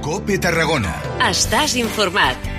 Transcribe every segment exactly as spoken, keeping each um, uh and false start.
COPE Tarragona. Estàs informat.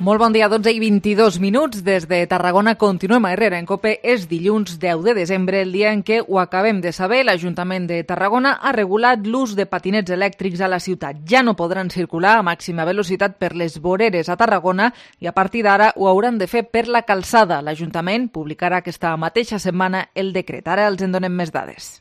Molt bon dia, dotze i vint-i-dos minuts. Des de Tarragona continuem a Herrera en COPE. És dilluns deu de desembre, el dia en què ho acabem de saber. L'Ajuntament de Tarragona ha regulat l'ús de patinets elèctrics a la ciutat. Ja no podran circular a màxima velocitat per les voreres a Tarragona i a partir d'ara ho hauran de fer per la calçada. L'Ajuntament publicarà aquesta mateixa setmana el decret. Ara els en donem més dades.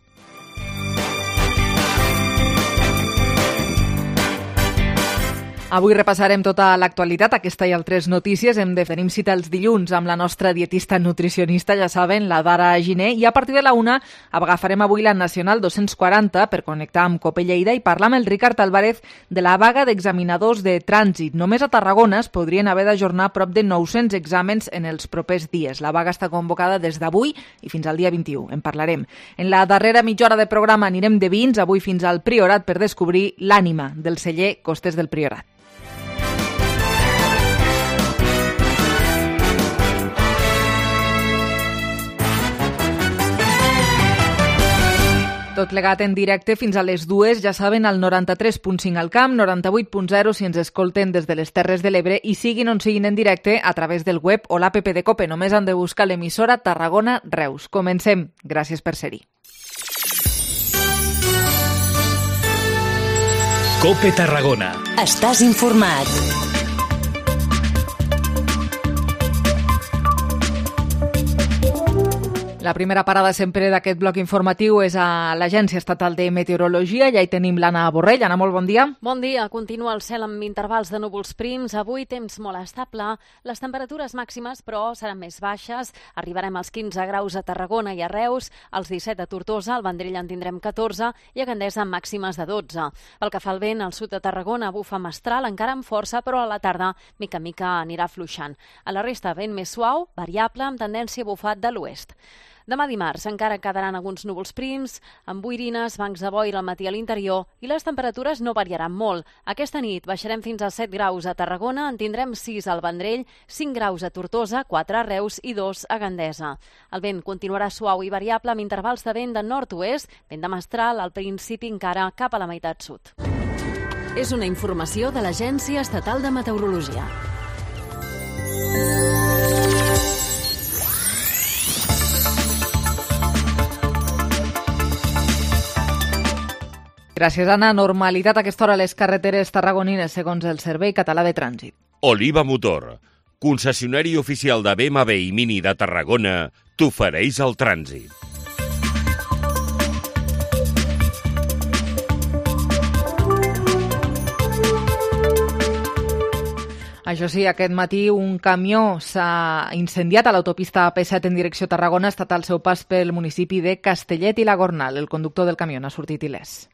Avui repassarem tota l'actualitat, aquesta i altres notícies. Hem de tenir cita els dilluns amb la nostra dietista nutricionista, ja saben, la Dara Giner, i a partir de la una agafarem avui la Nacional dos-cents quaranta per connectar amb COPE Lleida i parlar amb el Ricard Álvarez de la vaga d'examinadors de trànsit. Només a Tarragona es podrien haver d'ajornar prop de nou-cents exàmens en els propers dies. La vaga està convocada des d'avui i fins al dia vint-i-u. En parlarem. En la darrera mitja hora de programa anirem de vins, avui fins al Priorat, per descobrir l'ànima del celler Costes del Priorat. Tot plegat en directe fins a les dues, ja saben, al noranta-tres punt cinc al Camp, noranta-vuit punt zero si ens escolten des de les Terres de l'Ebre i siguin on siguin en directe a través del web o l'app de COPE. Només han de buscar l'emissora Tarragona Reus. Comencem. Gràcies per ser-hi. COPE Tarragona. Estàs informat. La primera parada sempre d'aquest bloc informatiu és a l'Agència Estatal de Meteorologia. Ja hi tenim l'Anna Borrell. Anna, molt bon dia. Bon dia. Continua el cel amb intervals de núvols prims. Avui temps molt estable. Les temperatures màximes, però, seran més baixes. Arribarem als quinze graus a Tarragona i a Reus, als disset a Tortosa, al Vendrell en tindrem catorze i a Gandesa amb màximes de dotze. Pel que fa al vent, al sud de Tarragona bufa mestral, encara amb força, però a la tarda, mica en mica, anirà fluixant. A la resta, vent més suau, variable, amb tendència a bufar de l'oest. Demà dimarts encara quedaran alguns núvols prims, amb boirines, bancs de boira al matí a l'interior i les temperatures no variaran molt. Aquesta nit baixarem fins als set graus a Tarragona, en tindrem sis al Vendrell, cinc graus a Tortosa, quatre a Reus i dos a Gandesa. El vent continuarà suau i variable amb intervals de vent de nord-oest, vent de mestral al principi encara cap a la meitat sud. És una informació de l'Agència Estatal de Meteorologia. Gràcies, Anna. Normalitat a aquesta hora a les carreteres tarragonines, segons el Servei Català de Trànsit. Oliva Motor, concessionari oficial de B M W i Mini de Tarragona, t'ofereix el trànsit. Això sí, aquest matí un camió s'ha incendiat a l'autopista A P set en direcció a Tarragona. Ha estat al seu pas pel municipi de Castellet i la Gornal. El conductor del camió n'ha sortit il·lès.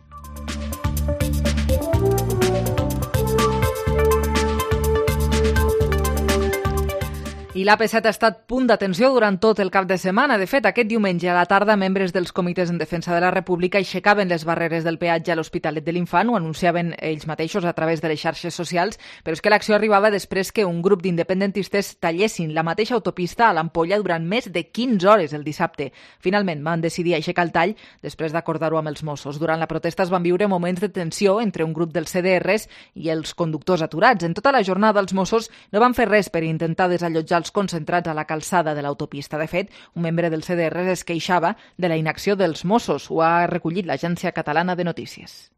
I l'A P set ha estat punt d'atenció durant tot el cap de setmana. De fet, aquest diumenge a la tarda, membres dels comitès en defensa de la República aixecaven les barreres del peatge a l'Hospitalet de l'Infant, ho anunciaven ells mateixos a través de les xarxes socials, però és que l'acció arribava després que un grup d'independentistes tallessin la mateixa autopista a l'Ampolla durant més de quinze hores el dissabte. Finalment van decidir aixecar el tall després d'acordar-ho amb els Mossos. Durant la protesta es van viure moments de tensió entre un grup dels C D Rs i els conductors aturats. En tota la jornada els Mossos no van fer res per intentar desallotjar els concentrats a la calçada de l'autopista. De fet, un membre del C D R es queixava de la inacció dels Mossos. Ho ha recollit l'Agència Catalana de Notícies.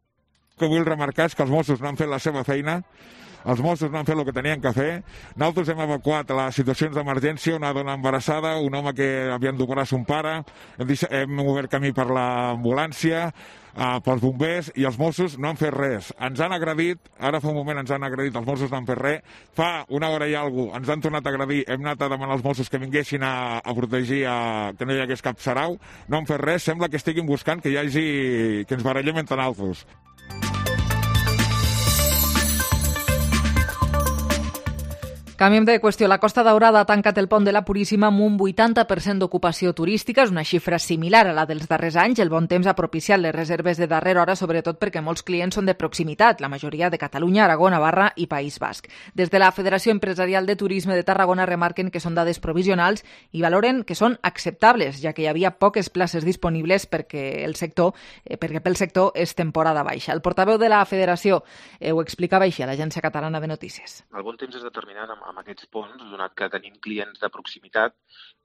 El que vull remarcar és que els Mossos no han fet la seva feina, els Mossos no han fet el que tenien que fer. Nosaltres hem evacuat a les situacions d'emergència una dona embarassada, un home que havien d'operar son pare, hem, hem obert camí per l'ambulància, Uh, pels bombers, i els Mossos no han fet res. Ens han agredit, ara fa un moment ens han agredit, els Mossos no han fet res. Fa una hora i alguna cosa ens han tornat a agredir, hem anat a demanar als Mossos que vinguessin a, a protegir, a, que no hi hagués cap sarau. No han fet res, sembla que estiguin buscant que hi hagi, que ens barallem entre nosaltres. Canviem de qüestió. La Costa Daurada ha tancat el pont de la Puríssima amb un vuitanta per cent d'ocupació turística. És una xifra similar a la dels darrers anys. El bon temps ha propiciat les reserves de darrera hora, sobretot perquè molts clients són de proximitat, la majoria de Catalunya, Aragó, Navarra i País Basc. Des de la Federació Empresarial de Turisme de Tarragona remarquen que són dades provisionals i valoren que són acceptables, ja que hi havia poques places disponibles perquè el sector, eh, perquè pel sector és temporada baixa. El portaveu de la Federació eh, ho explicava així a l'Agència Catalana de Notícies. El bon temps és determinant amb, amb aquests ponts, donat que tenim clients de proximitat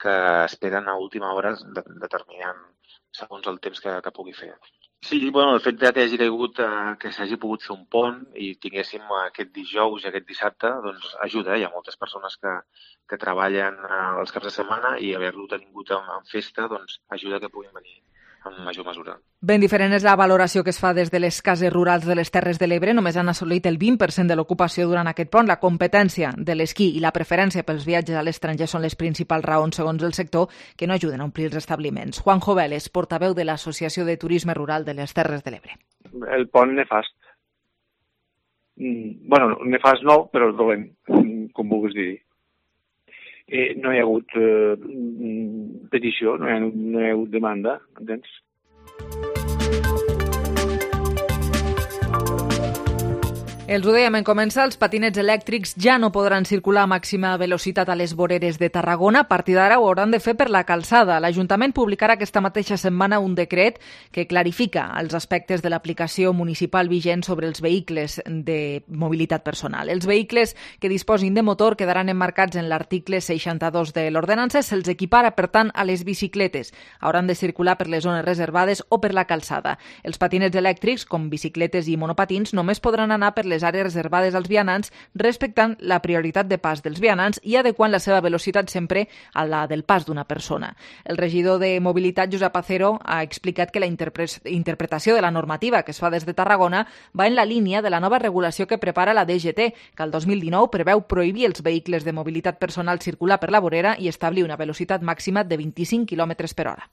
que esperen a última hora determinant segons el temps que, que pugui fer. Sí, bueno, el fet de que hagi caigut, eh, que s'hagi pogut fer un pont i tinguéssim aquest dijous i aquest dissabte, doncs ajuda. Hi ha moltes persones que, que treballen eh, els caps de setmana i haver-lo tingut en, en festa doncs ajuda que puguin venir en major mesura. Ben diferent és la valoració que es fa des de les cases rurals de les Terres de l'Ebre. Només han assolit el vint per cent de l'ocupació durant aquest pont. La competència de l'esquí i la preferència pels viatges a l'estranger són les principals raons, segons el sector, que no ajuden a omplir els establiments. Juan Joveles, portaveu de l'Associació de Turisme Rural de les Terres de l'Ebre. El pont nefast. Mm, bueno, nefast no, però dolent, com vulguis dir. Eh, no hi ha hagut eh, petició, no hi ha, no hi ha hagut demanda, entens? Els ho dèiem en començar, els patinets elèctrics ja no podran circular a màxima velocitat a les voreres de Tarragona. A partir d'ara ho hauran de fer per la calçada. L'Ajuntament publicarà aquesta mateixa setmana un decret que clarifica els aspectes de l'aplicació municipal vigent sobre els vehicles de mobilitat personal. Els vehicles que disposin de motor quedaran emmarcats en l'article seixanta-dos de l'ordenança. Se'ls equipara, per tant, a les bicicletes. Hauran de circular per les zones reservades o per la calçada. Els patinets elèctrics, com bicicletes i monopatins, només podran anar per les àrees reservades als vianants, respectant la prioritat de pas dels vianants i adequant la seva velocitat sempre a la del pas d'una persona. El regidor de Mobilitat, Josep Acero, ha explicat que la interpre- interpretació de la normativa que es fa des de Tarragona va en la línia de la nova regulació que prepara la D G T, que el dos mil dinou preveu prohibir els vehicles de mobilitat personal circular per la vorera i establir una velocitat màxima de vint-i-cinc quilòmetres per hora.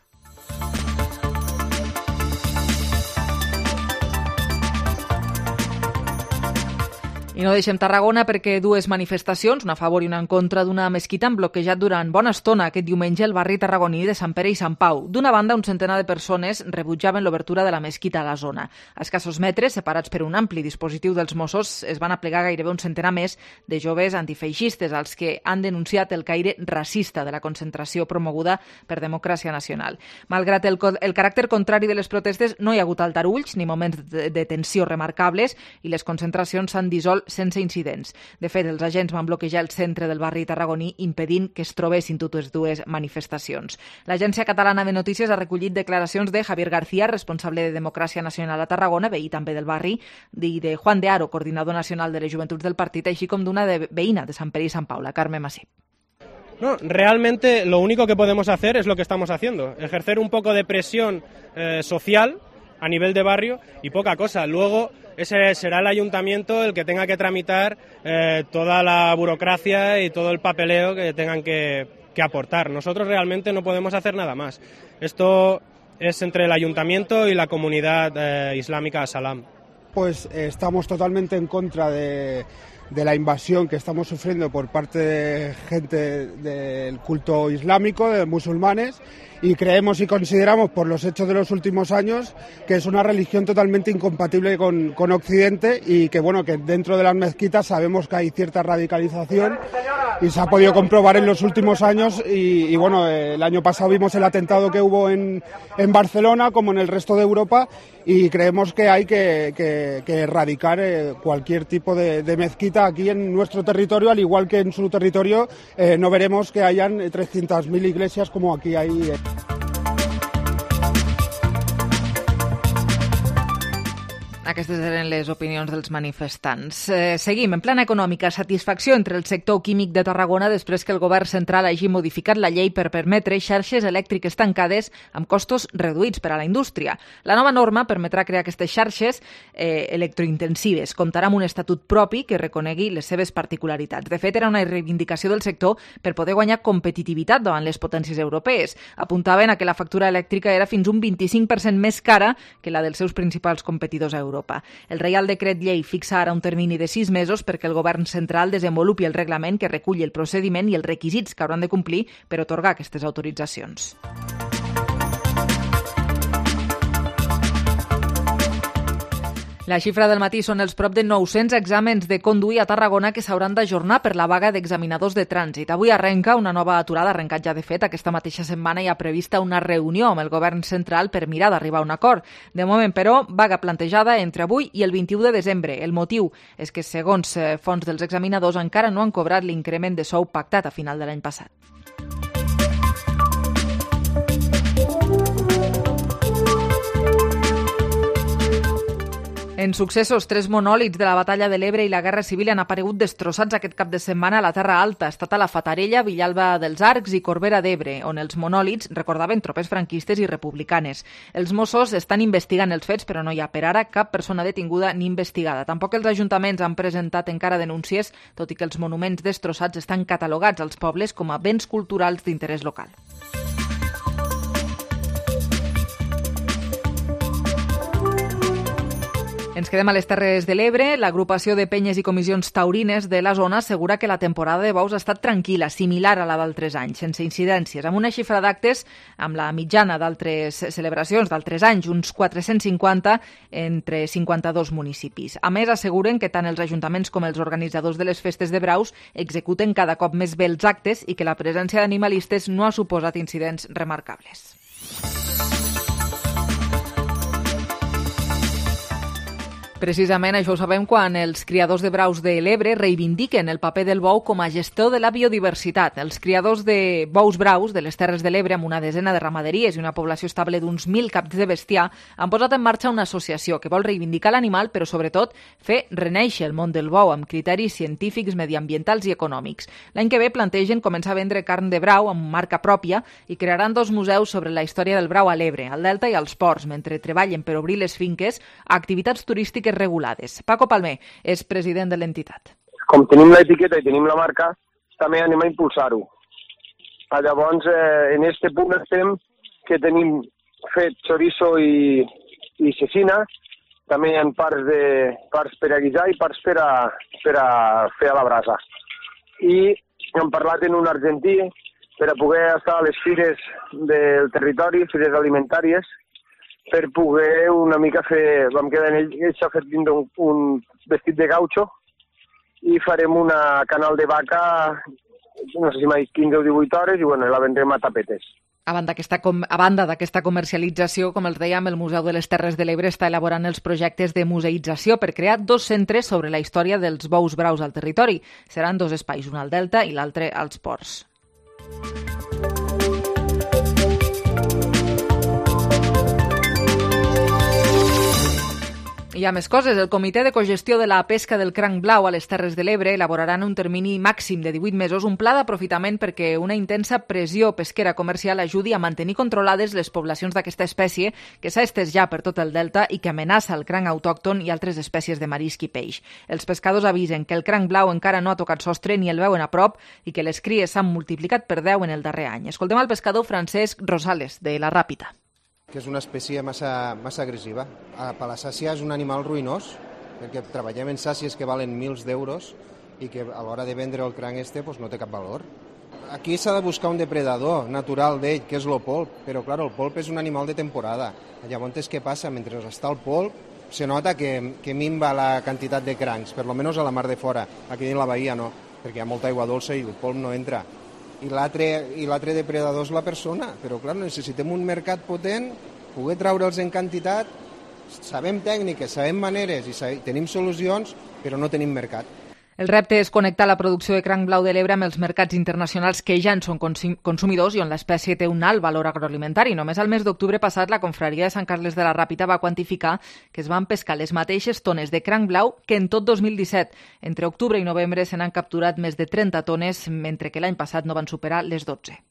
I no deixem Tarragona perquè dues manifestacions, una a favor i una en contra d'una mesquita, han bloquejat durant bona estona aquest diumenge el barri tarragoní de Sant Pere i Sant Pau. D'una banda, un centenar de persones rebutjaven l'obertura de la mesquita a la zona. A escassos metres, separats per un ampli dispositiu dels Mossos, es van aplegar gairebé un centenar més de joves antifeixistes, als que han denunciat el caire racista de la concentració promoguda per Democràcia Nacional. Malgrat el, el caràcter contrari de les protestes, no hi ha hagut aldarulls ni moments de, de tensió remarcables i les concentracions s'han dissolt sense incidents. De fet, els agents van bloquejar el centre del barri tarragoní impedint que es trobessin totes dues manifestacions. L'Agència Catalana de Notícies ha recollit declaracions de Javier García, responsable de Democràcia Nacional a Tarragona, veí també del barri, i de Juan de Haro, coordinador nacional de les joventuts del partit, així com d'una de veïna de Sant Pere i Sant Pau, la Carme Masip. No, realmente lo único que podemos hacer es lo que estamos haciendo, ejercer un poco de presión eh, social a nivel de barrio y poca cosa. Luego ese será el ayuntamiento el que tenga que tramitar eh, toda la burocracia y todo el papeleo que tengan que, que aportar. Nosotros realmente no podemos hacer nada más. Esto es entre el ayuntamiento y la comunidad eh, islámica Salam. Pues eh, estamos totalmente en contra de, de la invasión que estamos sufriendo por parte de gente del culto islámico, de musulmanes, y creemos y consideramos por los hechos de los últimos años que es una religión totalmente incompatible con, con Occidente y que bueno que dentro de las mezquitas sabemos que hay cierta radicalización y se ha podido comprobar en los últimos años y, y bueno, el año pasado vimos el atentado que hubo en, en Barcelona como en el resto de Europa y creemos que hay que, que, que erradicar eh, cualquier tipo de, de mezquita aquí en nuestro territorio, al igual que en su territorio eh, no veremos que hayan trescientas mil iglesias como aquí hay. Eh. Aquestes eren les opinions dels manifestants. Eh, seguim. En plana econòmica, satisfacció entre el sector químic de Tarragona després que el govern central hagi modificat la llei per permetre xarxes elèctriques tancades amb costos reduïts per a la indústria. La nova norma permetrà crear aquestes xarxes eh, electrointensives. Comptarà amb un estatut propi que reconegui les seves particularitats. De fet, era una reivindicació del sector per poder guanyar competitivitat davant les potències europees. Apuntaven a que la factura elèctrica era fins un vint-i-cinc per cent més cara que la dels seus principals competidors europeus. d'Europa. El Reial Decret Llei fixa ara un termini de sis mesos perquè el govern central desenvolupi el reglament que recull el procediment i els requisits que hauran de complir per atorgar aquestes autoritzacions. La xifra del matí són els prop de nou-cents exàmens de conduir a Tarragona que s'hauran d'ajornar per la vaga d'examinadors de trànsit. Avui arrenca una nova aturada, ha arrencat ja de fet. Aquesta mateixa setmana hi ha prevista una reunió amb el govern central per mirar d'arribar a un acord. De moment, però, vaga plantejada entre avui i el vint-i-u de desembre. El motiu és que, segons fonts dels examinadors, encara no han cobrat l'increment de sou pactat a final de l'any passat. En successos, tres monòlits de la batalla de l'Ebre i la Guerra Civil han aparegut destrossats aquest cap de setmana a la Terra Alta. Ha estat a la Fatarella, Villalba dels Arcs i Corbera d'Ebre, on els monòlits recordaven tropes franquistes i republicanes. Els Mossos estan investigant els fets, però no hi ha per ara cap persona detinguda ni investigada. Tampoc els ajuntaments han presentat encara denúncies, tot i que els monuments destrossats estan catalogats als pobles com a béns culturals d'interès local. Ens quedem a les Terres de l'Ebre. L'agrupació de penyes i comissions taurines de la zona assegura que la temporada de bous ha estat tranquil·la, similar a la d'altres anys, sense incidències, amb una xifra d'actes amb la mitjana d'altres celebracions d'altres anys, uns quatre-cents cinquanta entre cinquanta-dos municipis. A més, asseguren que tant els ajuntaments com els organitzadors de les festes de braus executen cada cop més bé els actes i que la presència d'animalistes no ha suposat incidents remarcables. Precisament això ho sabem quan els criadors de braus de l'Ebre reivindiquen el paper del bou com a gestor de la biodiversitat. Els criadors de bous braus de les Terres de l'Ebre, amb una desena de ramaderies i una població estable d'uns mil caps de bestiar, han posat en marxa una associació que vol reivindicar l'animal, però sobretot fer renéixer el món del bou amb criteris científics, mediambientals i econòmics. L'any que ve plantegen començar a vendre carn de brau amb marca pròpia i crearan dos museus sobre la història del brau a l'Ebre, al Delta i als ports, mentre treballen per obrir les finques a activitats turístiques regulades. Paco Palmer és president de l'entitat. Com tenim l'etiqueta i tenim la marca, també anem a impulsar-ho. Llavors, eh, en aquest punt estem que tenim fet chorizo i, i cecina, també hi ha parts, de, parts per a guisar i parts per a, per a fer a la brasa. I hem parlat en un argentí per a poder estar a les fires del territori, fires alimentàries, per poder una mica fer... Vam quedar en ell, ell s'ha fet dins un, un vestit de gaucho i farem una canal de vaca, no sé si m'ha dit quinze o divuit hores, i bueno, la vendrem a tapetes. A banda d'aquesta com, a banda d'aquesta comercialització, com els dèiem, el Museu de les Terres de l'Ebre està elaborant els projectes de museïtzació per crear dos centres sobre la història dels bous braus al territori. Seran dos espais, un al Delta i l'altre als ports. Hi ha més coses. El Comitè de Cogestió de la Pesca del Cranc Blau a les Terres de l'Ebre elaborarà en un termini màxim de divuit mesos un pla d'aprofitament perquè una intensa pressió pesquera comercial ajudi a mantenir controlades les poblacions d'aquesta espècie que s'ha estès ja per tot el delta i que amenaça el cranc autòcton i altres espècies de marisc i peix. Els pescadors avisen que el cranc blau encara no ha tocat sostre ni el veuen a prop i que les cries s'han multiplicat per deu en el darrer any. Escoltem al pescador Francesc Rosales, de la Ràpita. Que és una espècie massa, massa agressiva. Per la sàcia és un animal ruïnós, perquè treballem en sàcies que valen mils d'euros i que a l'hora de vendre el cranc este pues, no té cap valor. Aquí s'ha de buscar un depredador natural d'ell, que és el polp, però clar, el polp és un animal de temporada. Llavors, què passa? Mentre està el polp, se nota que, que minva la quantitat de crancs, per lo menos a la mar de fora. Aquí en la bahia no, perquè hi ha molta aigua dolça i el polp no entra. I l'altre depredador és la persona, però clar, necessitem un mercat potent, poder treure'ls en quantitat, sabem tècniques, sabem maneres i sabem, tenim solucions, però no tenim mercat. El repte és connectar la producció de cranc blau de l'Ebre amb els mercats internacionals que ja en són consumidors i on l'espècie té un alt valor agroalimentari. Només al mes d'octubre passat, la confraria de Sant Carles de la Ràpita va quantificar que es van pescar les mateixes tones de cranc blau que en tot dos mil disset. Entre octubre i novembre se n'han capturat més de trenta tones, mentre que l'any passat no van superar les dotze.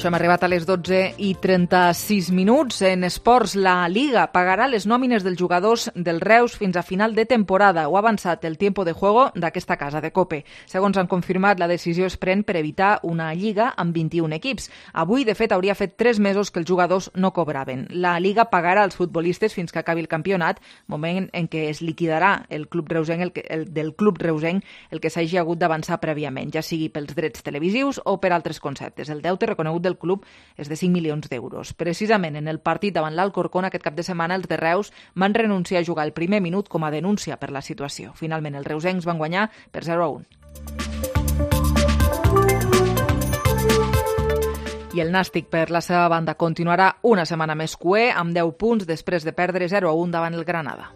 això hem arribat a les dotze i trenta-sis minuts. En esports, la Liga pagarà les nòmines dels jugadors del Reus fins a final de temporada. Ho ha avançat el tiempo de juego d'aquesta casa de Cope. Segons han confirmat, la decisió es pren per evitar una Lliga amb vint-i-un equips. Avui, de fet, hauria fet tres mesos que els jugadors no cobraven. La Liga pagarà als futbolistes fins que acabi el campionat, moment en què es liquidarà el club reusenc, el que, el, del club reusenc el que s'hagi hagut d'avançar prèviament, ja sigui pels drets televisius o per altres conceptes. El deute reconegut del club és de cinc milions d'euros. Precisament en el partit davant l'Alcorcón aquest cap de setmana els de Reus van renunciar a jugar el primer minut com a denúncia per la situació. Finalment els reusencs van guanyar per zero a un. I el Nàstic, per la seva banda, continuarà una setmana més cuer amb deu punts després de perdre zero a un davant el Granada.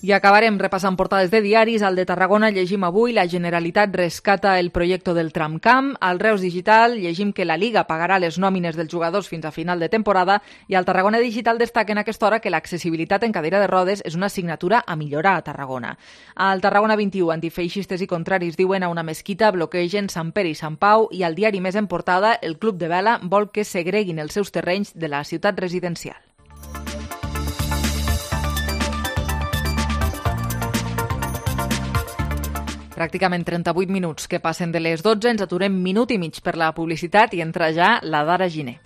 I acabarem repassant portades de diaris. Al de Tarragona llegim avui: la Generalitat rescata el projecte del tramcamp. Al Reus Digital llegim que la Liga pagarà les nòmines dels jugadors fins a final de temporada. I al Tarragona Digital destaquen a aquesta hora que l'accessibilitat en cadira de rodes és una assignatura a millorar a Tarragona. Al Tarragona vint-i-u, antifeixistes i contraris diuen a una mesquita bloquegen Sant Pere i Sant Pau. I al diari més en portada, el Club de Vela vol que segreguin els seus terrenys de la ciutat residencial. Pràcticament trenta-vuit minuts que passen de les dotze, ens aturem minut i mig per la publicitat i entra ja la Dara Giner.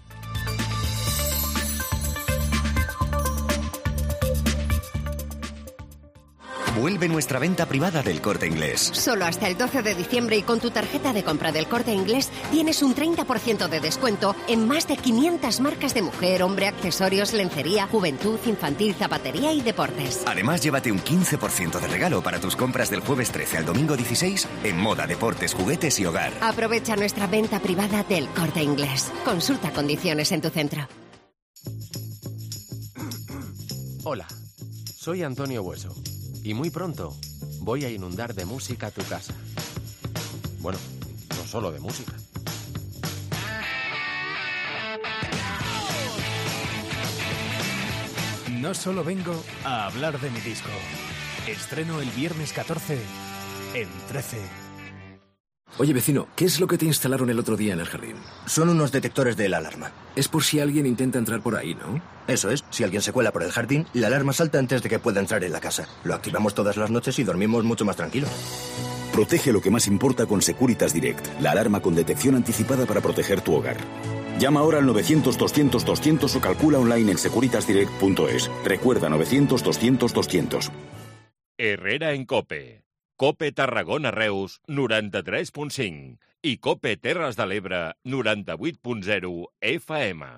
Vuelve nuestra venta privada del Corte Inglés. Solo hasta el doce de diciembre y con tu tarjeta de compra del Corte Inglés tienes un treinta por ciento de descuento en más de quinientas marcas de mujer, hombre, accesorios, lencería, juventud, infantil, zapatería y deportes. Además, llévate un quince por ciento de regalo para tus compras del jueves trece al domingo dieciséis en moda, deportes, juguetes y hogar. Aprovecha nuestra venta privada del Corte Inglés. Consulta condiciones en tu centro. Hola, soy Antonio Bueso. Y muy pronto voy a inundar de música tu casa. Bueno, no solo de música. No solo vengo a hablar de mi disco. Estreno el viernes catorce en trece. Oye, vecino, ¿qué es lo que te instalaron el otro día en el jardín? Son unos detectores de la alarma. Es por si alguien intenta entrar por ahí, ¿no? Eso es. Si alguien se cuela por el jardín, la alarma salta antes de que pueda entrar en la casa. Lo activamos todas las noches y dormimos mucho más tranquilos. Protege lo que más importa con Securitas Direct, la alarma con detección anticipada para proteger tu hogar. Llama ahora al novecientos doscientos doscientos o calcula online en securitas direct punto es. Recuerda novecientos doscientos doscientos. Herrera en Cope. Cope Tarragona Reus noranta-tres punt cinc i Cope Terres de l'Ebre noranta-vuit punt zero F M.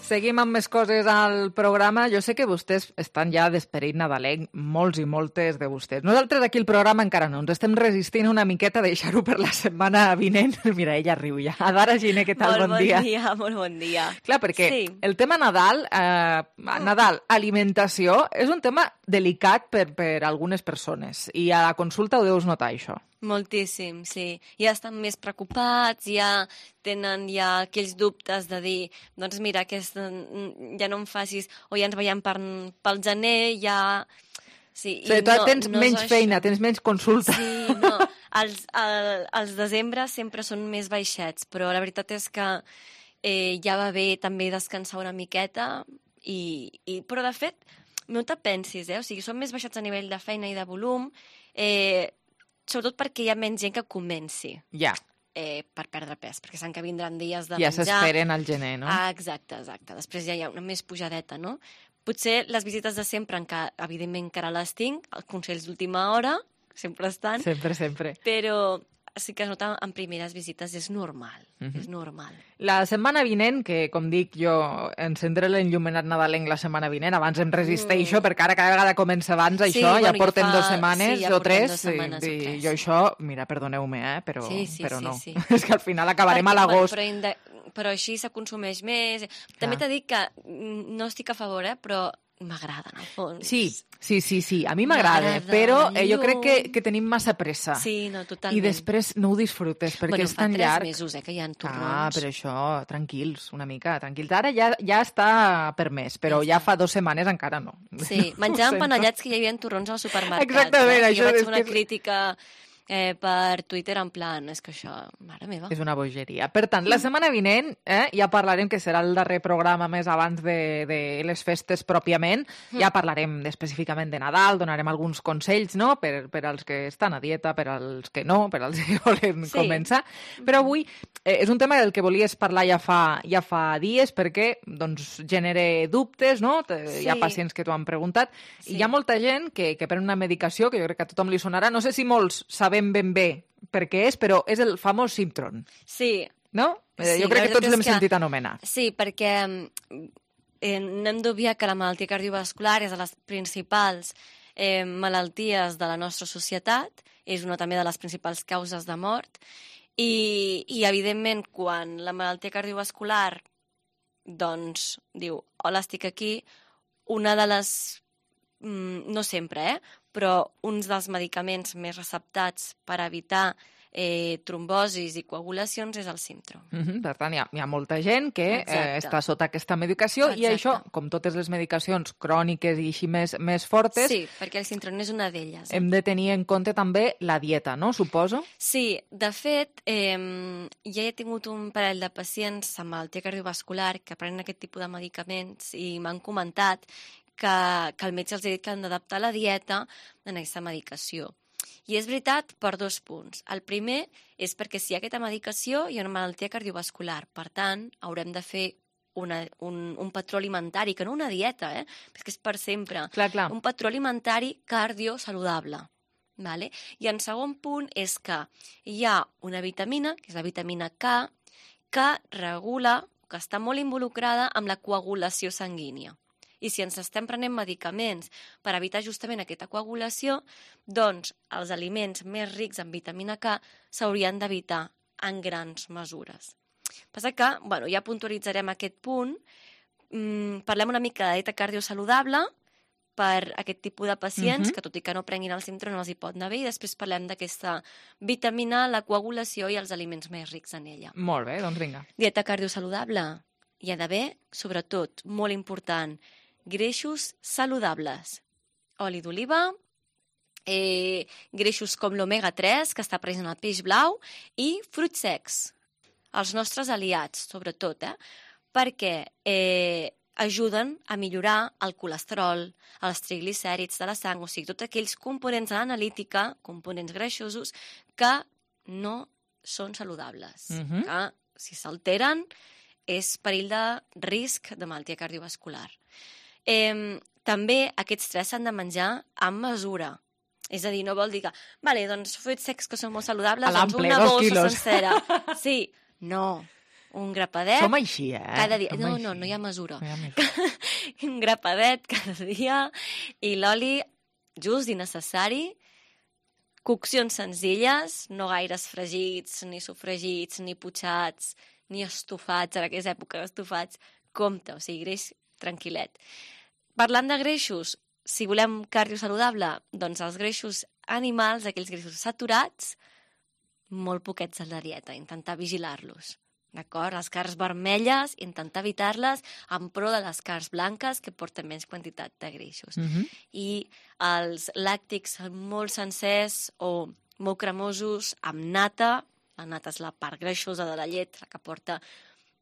Seguim amb més coses al programa. Jo sé que vostès estan ja d'esperit nadalenc, molts i moltes de vostès. Nosaltres aquí el programa encara no. Ens estem resistint una miqueta a deixar-ho per la setmana vinent. Mira, ella riu ja. Adara Giner, què tal? Molt bon dia. Bon dia, molt bon dia. Clar, perquè sí. el tema Nadal, eh, Nadal, alimentació, és un tema delicat per, per algunes persones. I a la consulta ho deus notar, això. Moltíssim, sí. Ja estan més preocupats, ja tenen ja aquells dubtes de dir, doncs mira, aquest, ja no em facis, o ja ens veiem per, pel gener, ja... Sí, sí, tu no, tens no menys feina, tens menys consulta. Sí, no, els, el, els desembre sempre són més baixets, però la veritat és que eh, ja va bé també descansar una miqueta, i, i, però de fet, no te pensis, eh? O sigui, són més baixets a nivell de feina i de volum, eh, sobretot perquè hi ha menys gent que comenci. Ja. Eh, per perdre pes, perquè saben que vindran dies de ja menjar. Ja s'esperen al gener, no? Ah, exacte, exacte. Després ja hi ha una més pujadeta, no? Potser les visites de sempre, encara, evidentment encara les tinc, els consells d'última hora, sempre estan. Sempre, sempre. Però sí que es nota en primeres visites, és normal, uh-huh. és normal. La setmana vinent, que com dic jo, encendré l'enllumenat nadalenc la setmana vinent, abans em resisteixo, mm. perquè ara cada vegada comença abans sí, això, bueno, ja porten ja fa... dues setmanes sí, ja o tres, dues setmanes, i, o tres. i jo això, mira, perdoneu-me, eh, però, sí, sí, però sí, no. Sí. És que al final acabarem perquè, a l'agost. Bueno, però, però així se consumeix més. També t'he dit que no estic a favor, eh, però m'agrada, en el fons. Sí, sí, sí, sí. A mi m'agrada, però eh, jo crec que, que tenim massa pressa. Sí, no, totalment. I després no ho disfrutes, perquè bueno, és tan llarg. Bueno, fa tres mesos, eh, que hi ha torrons. Ah, però això, tranquils, una mica, tranquils. Ara ja, ja està permès, però ja, ja fa dues setmanes encara no. Sí, menjàvem panellets que hi havia torrons als supermercats. Exactament, eh? això jo vaig és fer una que... crítica eh, per Twitter en plan, és que això, mare meva. És una bogeria. Per tant, la setmana vinent eh, ja parlarem, que serà el darrer programa més abans de, de les festes pròpiament, mm. ja parlarem específicament de Nadal, donarem alguns consells, no?, per, per als que estan a dieta, per als que no, per als que volen sí. començar. Però avui eh, és un tema del que volies parlar ja fa, ja fa dies, perquè doncs, genera dubtes, no? Sí. Hi ha pacients que t'ho han preguntat, sí. i hi ha molta gent que, que pren una medicació, que jo crec que a tothom li sonarà, no sé si molts sabem ben bé per què és, però és el famós Simtron. Sí. No? Eh, sí, jo crec que tots l'hem que... sentit anomenar. Sí, perquè eh, no hem d'obviar que la malaltia cardiovascular és de les principals eh, malalties de la nostra societat, és una també de les principals causes de mort, i, i evidentment, quan la malaltia cardiovascular doncs diu, hola, estic aquí, una de les... no sempre, eh? però uns dels medicaments més receptats per evitar eh, trombosis i coagulacions és el Simtron. Mm-hmm. Per tant, hi ha, hi ha molta gent que eh, està sota aquesta medicació. Exacte. I això, com totes les medicacions cròniques i així més, més fortes... Sí, perquè el Simtron és una d'elles. Hem de tenir en compte també la dieta, no? Suposo? Sí, de fet, eh, ja he tingut un parell de pacients amb malaltia cardiovascular que prenen aquest tipus de medicaments i m'han comentat que, que el metge els ha dit que han d'adaptar la dieta en aquesta medicació. I és veritat per dos punts. El primer és perquè si hi ha aquesta medicació hi ha una malaltia cardiovascular. Per tant, haurem de fer una, un, un patró alimentari, que no una dieta, eh? Perquè és per sempre. Clar, clar. Un patró alimentari cardiosaludable. Vale? I en segon punt és que hi ha una vitamina, que és la vitamina K, que regula, que està molt involucrada amb la coagulació sanguínia. I si ens estem prenent medicaments per evitar justament aquesta coagulació, doncs els aliments més rics en vitamina K s'haurien d'evitar en grans mesures. Passa que, bueno, ja puntualitzarem aquest punt, mm, parlem una mica de dieta cardiosaludable per aquest tipus de pacients, mm-hmm. que tot i que no prenguin el Simtron no els hi pot anar bé, i després parlem d'aquesta vitamina, la coagulació i els aliments més rics en ella. Molt bé, doncs vinga. Dieta cardiosaludable. Hi ha d'haver, sobretot, molt important, greixos saludables. Oli d'oliva, eh, greixos com l'omega tres, que està present al peix blau, i fruits secs, els nostres aliats, sobretot, eh? perquè eh, ajuden a millorar el colesterol, els triglicèrids de la sang, o sigui, tots aquells components de l'analítica, components greixosos, que no són saludables, mm-hmm. que si s'alteren és perill de risc de malaltia cardiovascular. Eh, també aquests tres s'han de menjar amb mesura. És a dir, no vol dir que, vale, doncs fruits secs que són molt saludables, doncs una bossa sencera. Sí, no, un grapadet... Som així, eh? Cada dia. Som no, així. no, no hi ha mesura. No hi ha mesura. Un grapadet cada dia i l'oli just i necessari. Coccions senzilles, no gaires fregits, ni sofregits, ni putxats, ni estofats, ara que és època d'estofats. Compte, o sigui, greix tranquil·let. Parlant de greixos, si volem cardio saludable, doncs els greixos animals, aquells greixos saturats, molt poquets a la dieta, intentar vigilar-los. D'acord? Les carns vermelles, intentar evitar-les en pro de les carns blanques, que porten menys quantitat de greixos. Mm-hmm. I els làctics molt sencers o molt cremosos amb nata, la nata és la part greixosa de la llet, la que porta...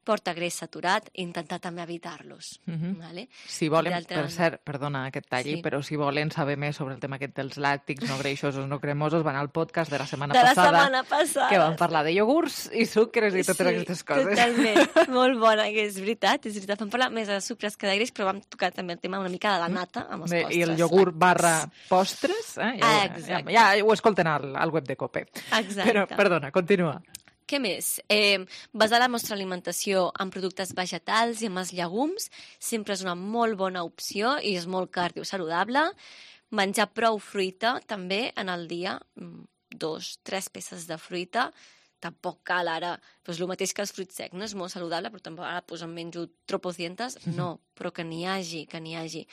porta greix saturat, intentar també evitar-los. Mm-hmm. Vale? Si volen, per cert, perdona aquest talli, sí. però si volen saber més sobre el tema aquest dels làctics no greixosos no cremosos, van al podcast de la setmana de la passada, setmana passada, que vam parlar de iogurts i sucres i totes sí, aquestes coses. Totalment, molt bona, que és veritat, és veritat. Vam parlar més de sucres que de greix, però vam tocar també el tema una mica de la nata amb els Bé, postres. I el iogurt barra postres, eh? ja, ah, ja, ja ho escolten al, al web de Cope. Exacte. Però, perdona, continua. Què més? Eh, basar la nostra alimentació en productes vegetals i en els llegums sempre és una molt bona opció i és molt cardiosaludable. Menjar prou fruita també en el dia, dos, tres peces de fruita, tampoc cal ara, doncs el mateix que els fruits secs, no és molt saludable, però tampoc ara doncs, em menjo tropocientos, no, però que n'hi hagi, que n'hi hagi.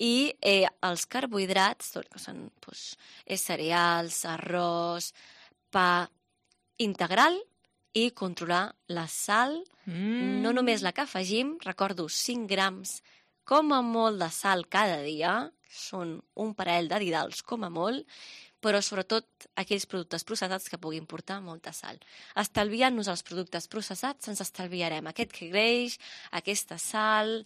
I eh, els carbohidrats, tot, que són doncs, cereals, arròs, pa integral i controlar la sal, mm. no només la que afegim, recordo cinc grams com a molt de sal cada dia, són un parell de didals com a molt, però sobretot aquells productes processats que puguin portar molta sal. Estalviant-nos els productes processats ens estalviarem aquest greix, aquesta sal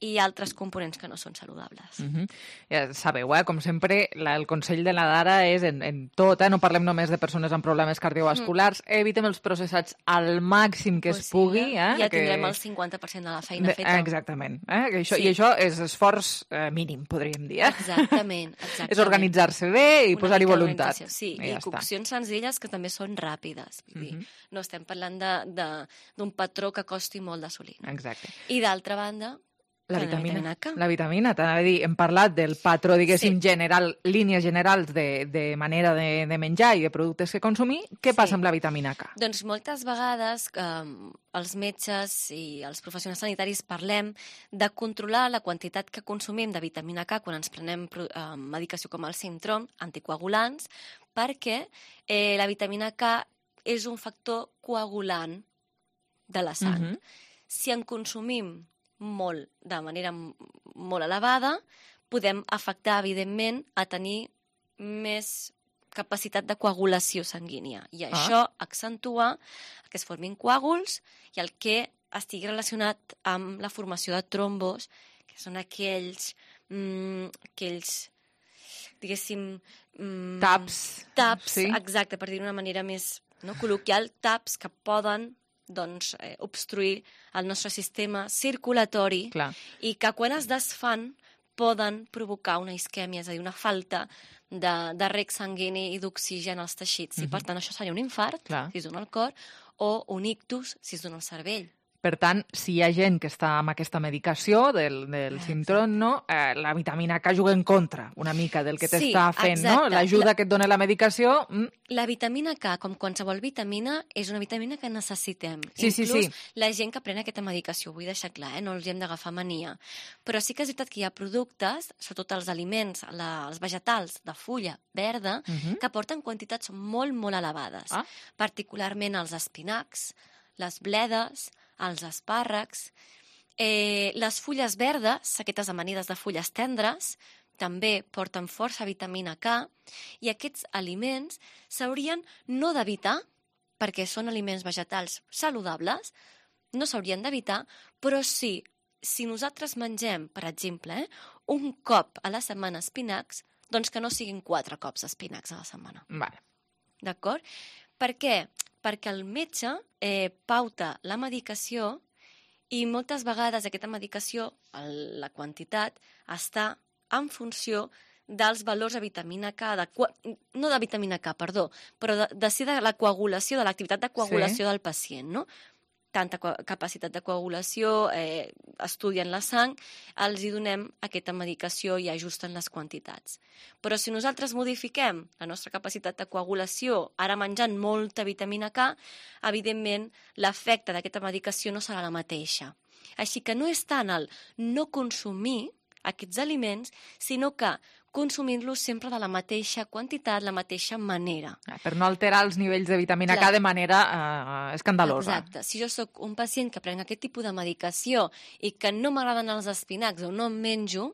i altres components que no són saludables. Uh-huh. Ja sabeu, eh? Com sempre, la, el consell de la Dara és en, en tot, eh? No parlem només de persones amb problemes cardiovasculars, mm. evitem els processats al màxim que pues es pugui. Sí, eh? Ja que... tindrem el cinquanta per cent de la feina feta. Exactament. Eh? Que això, sí. I això és esforç eh, mínim, podríem dir. Eh? Exactament. exactament. És organitzar-se bé i posar-hi voluntat. Sí, i, i coccions senzilles que també són ràpides. Vull dir, uh-huh. no estem parlant d'un patró que costi molt d'assolir. Exacte. I d'altra banda, la vitamina, la vitamina K. La vitamina, t'anava a dir, hem parlat del patró, diguéssim, sí. general, línies generals de, de manera de, de menjar i de productes que consumir. Què sí. passa amb la vitamina K? Doncs moltes vegades eh, els metges i els professionals sanitaris parlem de controlar la quantitat que consumim de vitamina K quan ens prenem eh, medicació com el Sintrom, anticoagulants, perquè eh, la vitamina K és un factor coagulant de la sang. Uh-huh. Si en consumim molt, de manera molt elevada, podem afectar, evidentment, a tenir més capacitat de coagulació sanguínia. I ah. això accentua que es formin coàguls i el que estigui relacionat amb la formació de trombos, que són aquells, mm, aquells diguéssim... Mm, taps. Taps, sí. exacte, per dir-ho d'una manera més no, col·loquial, taps que poden doncs, eh, obstruir el nostre sistema circulatori. Clar. I que quan es desfan poden provocar una isquèmia, és a dir, una falta de, de reg sanguini i d'oxigen als teixits. Uh-huh. I per tant això seria un infart, Clar. si es dona al cor, o un ictus, si es dona al cervell. Per tant, si hi ha gent que està amb aquesta medicació del, del Sintrom, no? eh, la vitamina K juga en contra una mica del que t'està sí, fent, exacte. no? L'ajuda la... que et dona la medicació... Mm. La vitamina K, com qualsevol vitamina, és una vitamina que necessitem. Sí, Inclús sí, sí. la gent que pren aquesta medicació, vull deixar clar, eh? no els hi hem d'agafar mania. Però sí que és veritat que hi ha productes, sobretot els aliments, la, els vegetals de fulla verda, uh-huh. que porten quantitats molt, molt elevades. Ah. Particularment els espinacs, les bledes, els espàrrecs, eh, les fulles verdes, aquestes amanides de fulles tendres, també porten força vitamina K, i aquests aliments s'haurien no d'evitar, perquè són aliments vegetals saludables, no s'haurien d'evitar, però sí, si nosaltres mengem, per exemple, eh, un cop a la setmana espinacs, doncs que no siguin quatre cops espinacs a la setmana. Vale. D'acord? Per què? Perquè el metge eh, pauta la medicació i moltes vegades aquesta medicació, el, la quantitat, està en funció dels valors de vitamina K, de, no de vitamina K, perdó, però de, de ser de la coagulació, de l'activitat de coagulació sí. del pacient, no? Tanta capacitat de coagulació, eh, estudien la sang, els hi donem aquesta medicació i ajusten les quantitats. Però si nosaltres modifiquem la nostra capacitat de coagulació, ara menjant molta vitamina K, evidentment l'efecte d'aquesta medicació no serà la mateixa. Així que no és tant el no consumir aquests aliments, sinó que consumint-los sempre de la mateixa quantitat, la mateixa manera. Per no alterar els nivells de vitamina Clar. K de manera eh, escandalosa. Exacte. Si jo sóc un pacient que prenc aquest tipus de medicació i que no m'agraden els espinacs o no en menjo,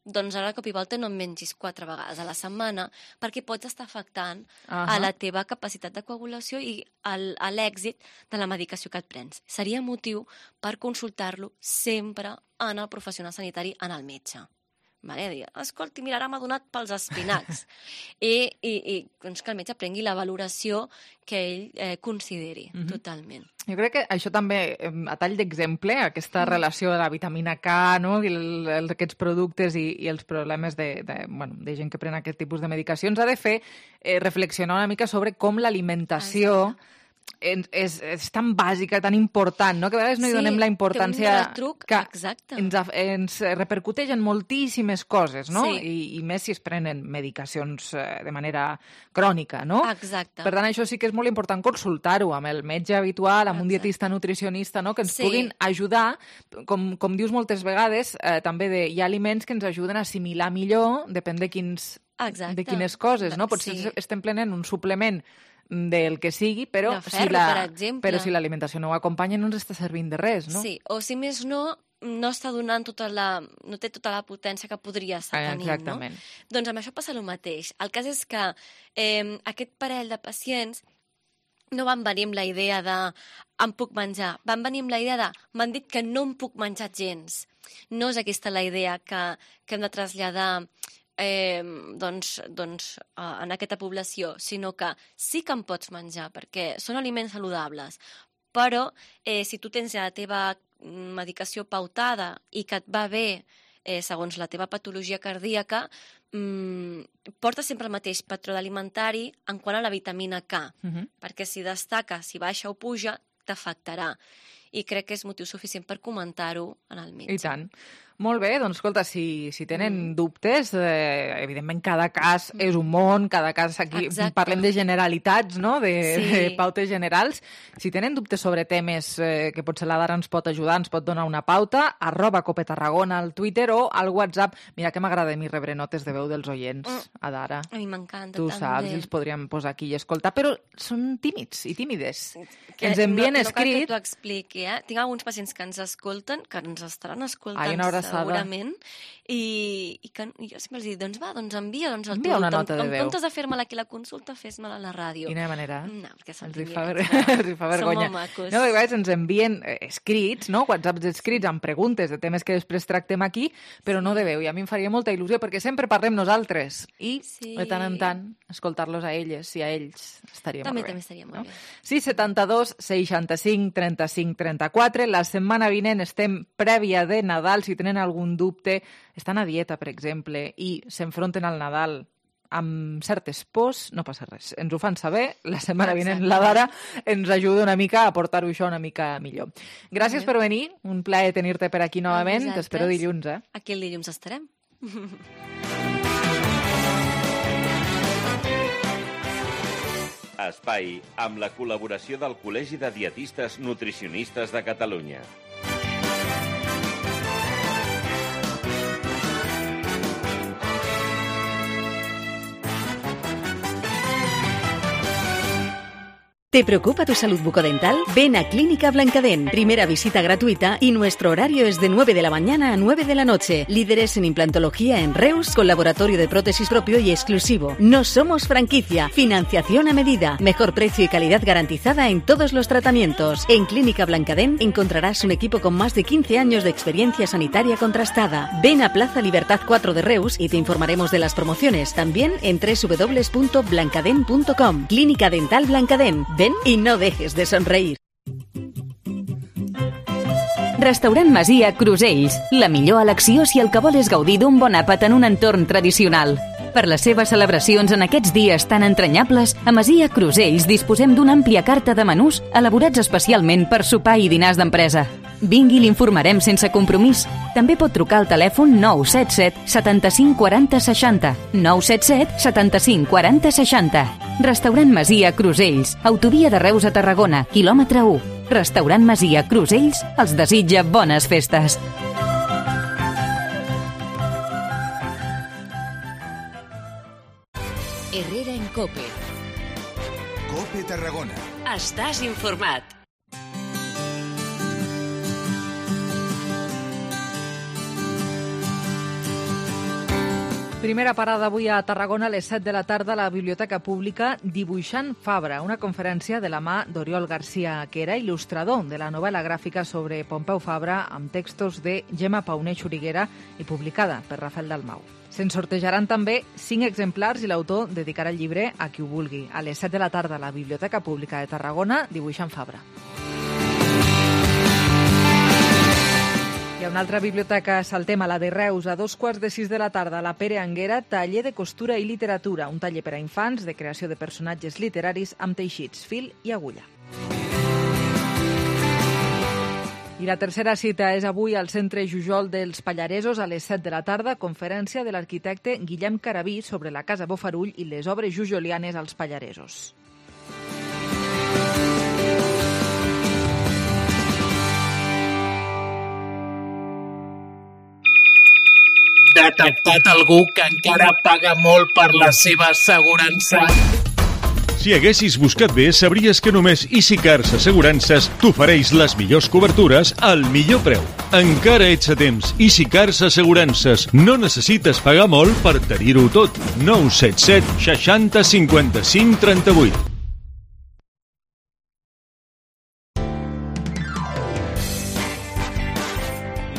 doncs ara de cop i volta no en mengis quatre vegades a la setmana, perquè pots estar afectant uh-huh. a la teva capacitat de coagulació i al, a l'èxit de la medicació que et prens. Seria motiu per consultar-lo sempre en el professional sanitari, en el metge. Vale? Dir, escolti, mira, ara m'ha donat pels espinacs. I, i, i doncs que el metge prengui la valoració que ell eh, consideri, uh-huh. totalment. Jo crec que això també, a tall d'exemple, aquesta mm. relació de la vitamina K, no? I el, el, aquests productes i, i els problemes de, de, bueno, de gent que pren aquest tipus de medicacions, ha de fer eh, reflexionar una mica sobre com l'alimentació és, és tan bàsica, tan important, no? Que a vegades no hi Sí, donem la importància que un retruc, que exacte. ens, af- ens repercuteix en moltíssimes coses, no? Sí. I, I més si es prenen medicacions eh, de manera crònica, no? Exacte. Per tant, això sí que és molt important consultar-ho amb el metge habitual, amb un dietista nutricionista, no? Que ens Sí. puguin ajudar, com, com dius moltes vegades, eh, també de, hi ha aliments que ens ajuden a assimilar millor, depèn de, quins, Exacte. de quines coses, no? Potser Sí. estem prenent un suplement del que sigui, però, De ferro, si la, per exemple. però si l'alimentació no ho acompanya no ens està servint de res, no? Sí, o si més no, no està donant tota la... no té tota la potència que podria estar tenint, Exactament. no? Doncs amb això passa el mateix. El cas és que eh, aquest parell de pacients no van venir amb la idea de em puc menjar, van venir amb la idea de m'han dit que no em puc menjar gens. No és aquesta la idea que, que hem de traslladar eh, doncs, doncs, eh, en aquesta població, sinó que sí que en pots menjar, perquè són aliments saludables, però eh, si tu tens ja la teva medicació pautada i que et va bé eh, segons la teva patologia cardíaca, mmm, porta sempre el mateix patró alimentari en quant a la vitamina K, Mhm. perquè si destaca, si baixa o puja, t'afectarà. I crec que és motiu suficient per comentar-ho en el metge. I tant. Molt bé, doncs escolta, si, si tenen mm. dubtes, eh, evidentment cada cas és un món, cada cas aquí Exacte. parlem de generalitats, no? de, Sí. de pautes generals. Si tenen dubtes sobre temes eh, que potser la Dara ens pot ajudar, ens pot donar una pauta, arroba Cope Tarragona al Twitter o al WhatsApp. Mira que m'agrada a mi rebre notes de veu dels oients, Mm. a Dara. A mi m'encanta Tu també. saps, i els podríem posar aquí i escoltar, però són tímids i tímides. Que Ens envien no, no cal que escrit... t'ho expliqui, eh? Tinc alguns pacients que ens escolten, que ens estaran escoltant Ai, una abraçada. segurament, i, i que i jo sempre els dic, doncs va, doncs envia, doncs el Envia una nota de en, veu. en comptes de fer-me-la aquí la consulta, fes-me-la a la ràdio. Quina manera? No, perquè Els hi sentim fa, ver... directe. els hi fa vergonya. Som molt macos. No, a vegades ens envien eh, escrits, no? WhatsApps escrits amb preguntes de temes que després tractem aquí, però no de veu. I a mi em faria molta il·lusió, perquè sempre parlem nosaltres. I, Sí. de tant en tant, escoltar-los a elles i a ells estaria També, molt bé. també estaria molt no? bé. sis setanta-dos seixanta-cinc trenta-cinc trenta-quatre. La setmana vinent estem prèvia de Nadal. Si tenen algun dubte, estan a dieta, per exemple, i s'enfronten al Nadal amb certes pors, no passa res. Ens ho fan saber. La setmana vinent la Dara ens ajuda una mica a portar-ho això una mica millor. Gràcies per venir. Un plaer tenir-te per aquí novament. vosaltres. T'espero dilluns, eh? Aquí el dilluns estarem. Espai amb la col·laboració del Col·legi de Dietistes Nutricionistes de Catalunya. ¿Te preocupa tu salud bucodental? Ven a Clínica Blancadén. Primera visita gratuita y nuestro horario es de nueve de la mañana a nueve de la noche. Líderes en implantología en Reus, con laboratorio de prótesis propio y exclusivo. No somos franquicia. Financiación a medida. Mejor precio y calidad garantizada en todos los tratamientos. En Clínica Blancadén encontrarás un equipo con más de quince años de experiencia sanitaria contrastada. Ven a Plaza Libertad cuatro de Reus y te informaremos de las promociones. También en doble u doble u doble u punto blancadén punto com. Clínica Dental Blancadén. Ven y no dejes de sonreír. Restaurant Masia Crusells. La millor elecció si el que vol és gaudir d'un bon àpat en un entorn tradicional. Per les seves celebracions en aquests dies tan entranyables, a Masia Crusells disposem d'una àmplia carta de menús elaborats especialment per sopar i dinars d'empresa. Vingui i l'informarem sense compromís. També pot trucar al telèfon nou set set setanta-cinc quaranta seixanta. nou set set setanta-cinc quaranta seixanta. Restaurant Masia Crusells, autovia de Reus a Tarragona, quilòmetre u. Restaurant Masia Crusells els desitja bones festes. Herrera en Cope. Cope Tarragona. Estàs informat. Primera parada avui a Tarragona a les set de la tarda a la Biblioteca Pública Dibuixant Fabra, una conferència de la mà d'Oriol Garcia, que era il·lustrador de la novel·la gràfica sobre Pompeu Fabra amb textos de Gemma Pauner Xuriguera i publicada per Rafael Dalmau. Se'n sortejaran també cinc exemplars i l'autor dedicarà el llibre a qui ho vulgui. A les set de la tarda a la Biblioteca Pública de Tarragona, Dibuixant Fabra. Hi ha una altra biblioteca Saltem, a la de Reus, a dos quarts de sis de la tarda, a la Pere Anguera, taller de costura i literatura, un taller per a infants de creació de personatges literaris amb teixits, fil i agulla. I la tercera cita és avui al Centre Jujol dels Pallaresos a les set de la tarda, conferència de l'arquitecte Guillem Carabí sobre la Casa Bofarull i les obres jujolianes als Pallaresos. Detectat algú que encara paga molt per la seva assegurança. Si haguessis buscat bé, sabries que només EasyCars Assegurances t'ofereix les millors cobertures al millor preu. Encara ets a temps. EasyCars Assegurances. No necessites pagar molt per tenir-ho tot. nou set set seixanta cinquanta cinc trenta vuit.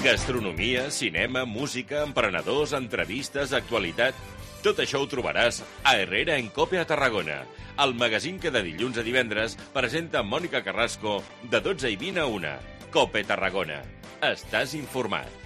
Gastronomia, cinema, música, emprenedors, entrevistes, actualitat... Tot això ho trobaràs a Herrera en Cope a Tarragona, el magazín que de dilluns a divendres presenta Mònica Carrasco de dotze i vint a una. Cope Tarragona. Estàs informat.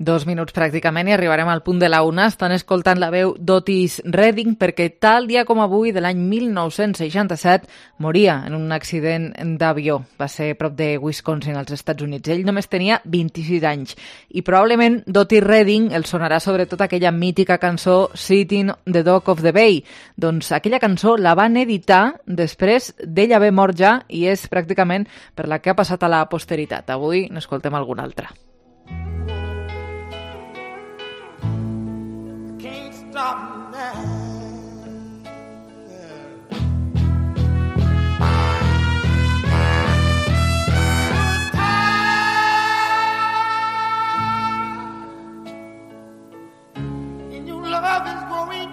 Dos minuts pràcticament i arribarem al punt de la una. Estan escoltant la veu d'Otis Redding perquè tal dia com avui de l'any mil nou-cents seixanta-set moria en un accident d'avió. Va ser prop de Wisconsin, als Estats Units. Ell només tenia vint-i-sis anys i probablement d'Otis Redding el sonarà sobretot aquella mítica cançó Sitting on the Dock of the Bay. Doncs aquella cançó la van editar després d'ell haver mort ja i és pràcticament per la que ha passat a la posteritat. Avui n'escoltem alguna altra. Stop now. And your love is going.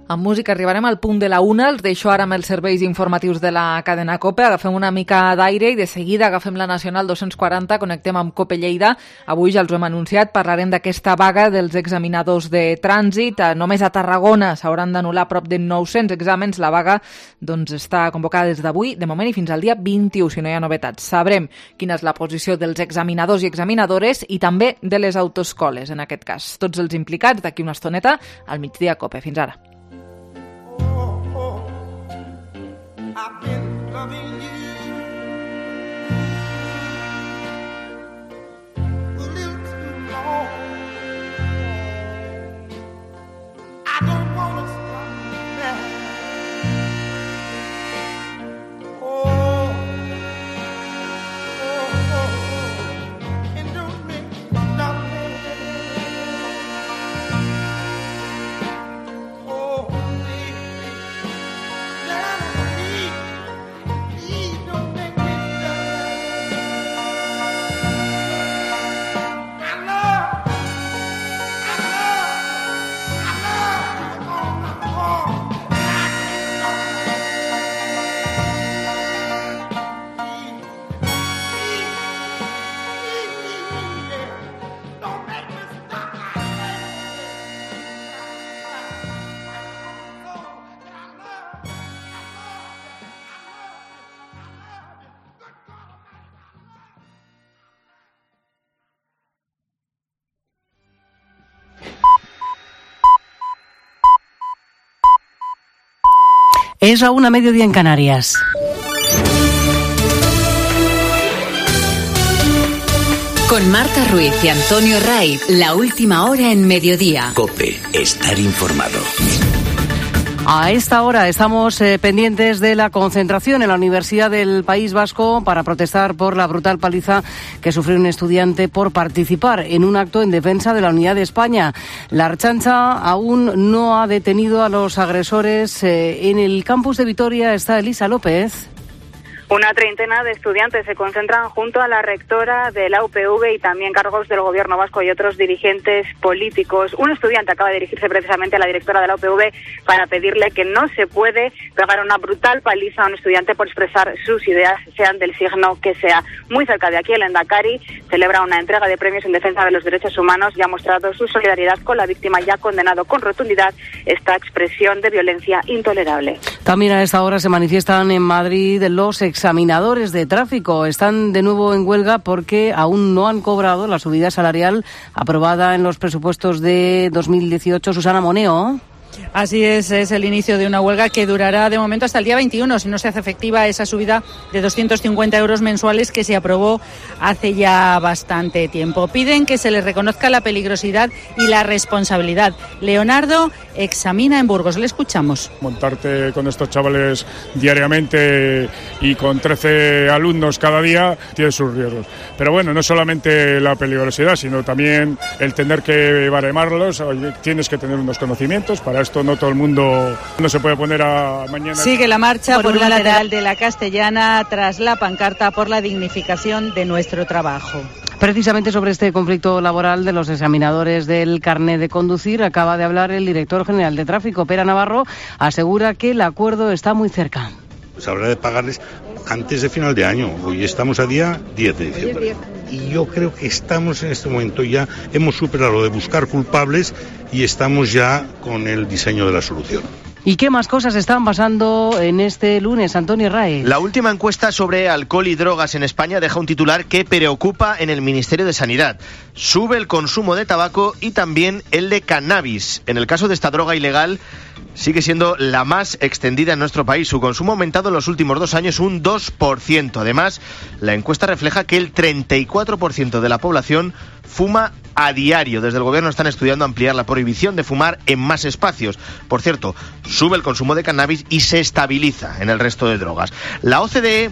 Amb música arribarem al punt de la una. Els deixo ara amb els serveis informatius de la cadena COPE. Agafem una mica d'aire i de seguida agafem la Nacional dos-cents quaranta, connectem amb COPE Lleida. Avui ja els ho hem anunciat, parlarem d'aquesta vaga dels examinadors de trànsit. Només a Tarragona s'hauran d'anul·lar prop de nou-cents exàmens. La vaga doncs, està convocada des d'avui, de moment i fins al dia vint-i-u, si no hi ha novetats. Sabrem quina és la posició dels examinadors i examinadores i també de les autoescoles, en aquest cas. Tots els implicats d'aquí una estoneta al migdia COPE. Fins ara. I've been loving you a little too long. I don't want to stop now. Oh, oh, oh, oh. And don't make me stop now. Oh, baby, now. Es a una mediodía en Canarias. Con Marta Ruiz y Antonio Ray, la última hora en mediodía. COPE, estar informado. A esta hora estamos eh, pendientes de la concentración en la Universidad del País Vasco para protestar por la brutal paliza que sufrió un estudiante por participar en un acto en defensa de la unidad de España. La Ertzaintza aún no ha detenido a los agresores. Eh, en el campus de Vitoria está Elisa López. Una treintena de estudiantes se concentran junto a la rectora de la U P V y también cargos del gobierno vasco y otros dirigentes políticos. Un estudiante acaba de dirigirse precisamente a la directora de la U P V para pedirle que no se puede pegar una brutal paliza a un estudiante por expresar sus ideas, sean del signo que sea. Muy cerca de aquí, el Endacari celebra una entrega de premios en defensa de los derechos humanos y ha mostrado su solidaridad con la víctima y ha condenado con rotundidad esta expresión de violencia intolerable. También a esta hora se manifiestan en Madrid los examinadores de tráfico. Están de nuevo en huelga porque aún no han cobrado la subida salarial aprobada en los presupuestos de dos mil dieciocho. Susana Moneo. Así es, es el inicio de una huelga que durará de momento hasta el día veintiuno, si no se hace efectiva esa subida de doscientos cincuenta euros mensuales que se aprobó hace ya bastante tiempo. Piden que se les reconozca la peligrosidad y la responsabilidad. Leonardo examina en Burgos, le escuchamos. Montarte con estos chavales diariamente y con trece alumnos cada día tiene sus riesgos. Pero bueno, no solamente la peligrosidad, sino también el tener que baremarlos. Tienes que tener unos conocimientos. Para esto no todo el mundo no se puede poner a mañana. Sigue la marcha por, por un lateral de la Castellana tras la pancarta por la dignificación de nuestro trabajo. Precisamente sobre este conflicto laboral de los examinadores del carné de conducir acaba de hablar el director general de tráfico, Pera Navarro. Asegura que el acuerdo está muy cerca. Se habrá de pagarles antes de final de año. Hoy estamos a día diez de diciembre. Y yo creo que estamos en este momento ya, hemos superado lo de buscar culpables y estamos ya con el diseño de la solución. ¿Y qué más cosas están pasando en este lunes, Antonio Raez? La última encuesta sobre alcohol y drogas en España deja un titular que preocupa en el Ministerio de Sanidad. Sube el consumo de tabaco y también el de cannabis. En el caso de esta droga ilegal, sigue siendo la más extendida en nuestro país. Su consumo ha aumentado en los últimos dos años un dos por ciento. Además, la encuesta refleja que el treinta y cuatro por ciento de la población fuma a diario. Desde el gobierno están estudiando ampliar la prohibición de fumar en más espacios. Por cierto, sube el consumo de cannabis y se estabiliza en el resto de drogas. La O C D E,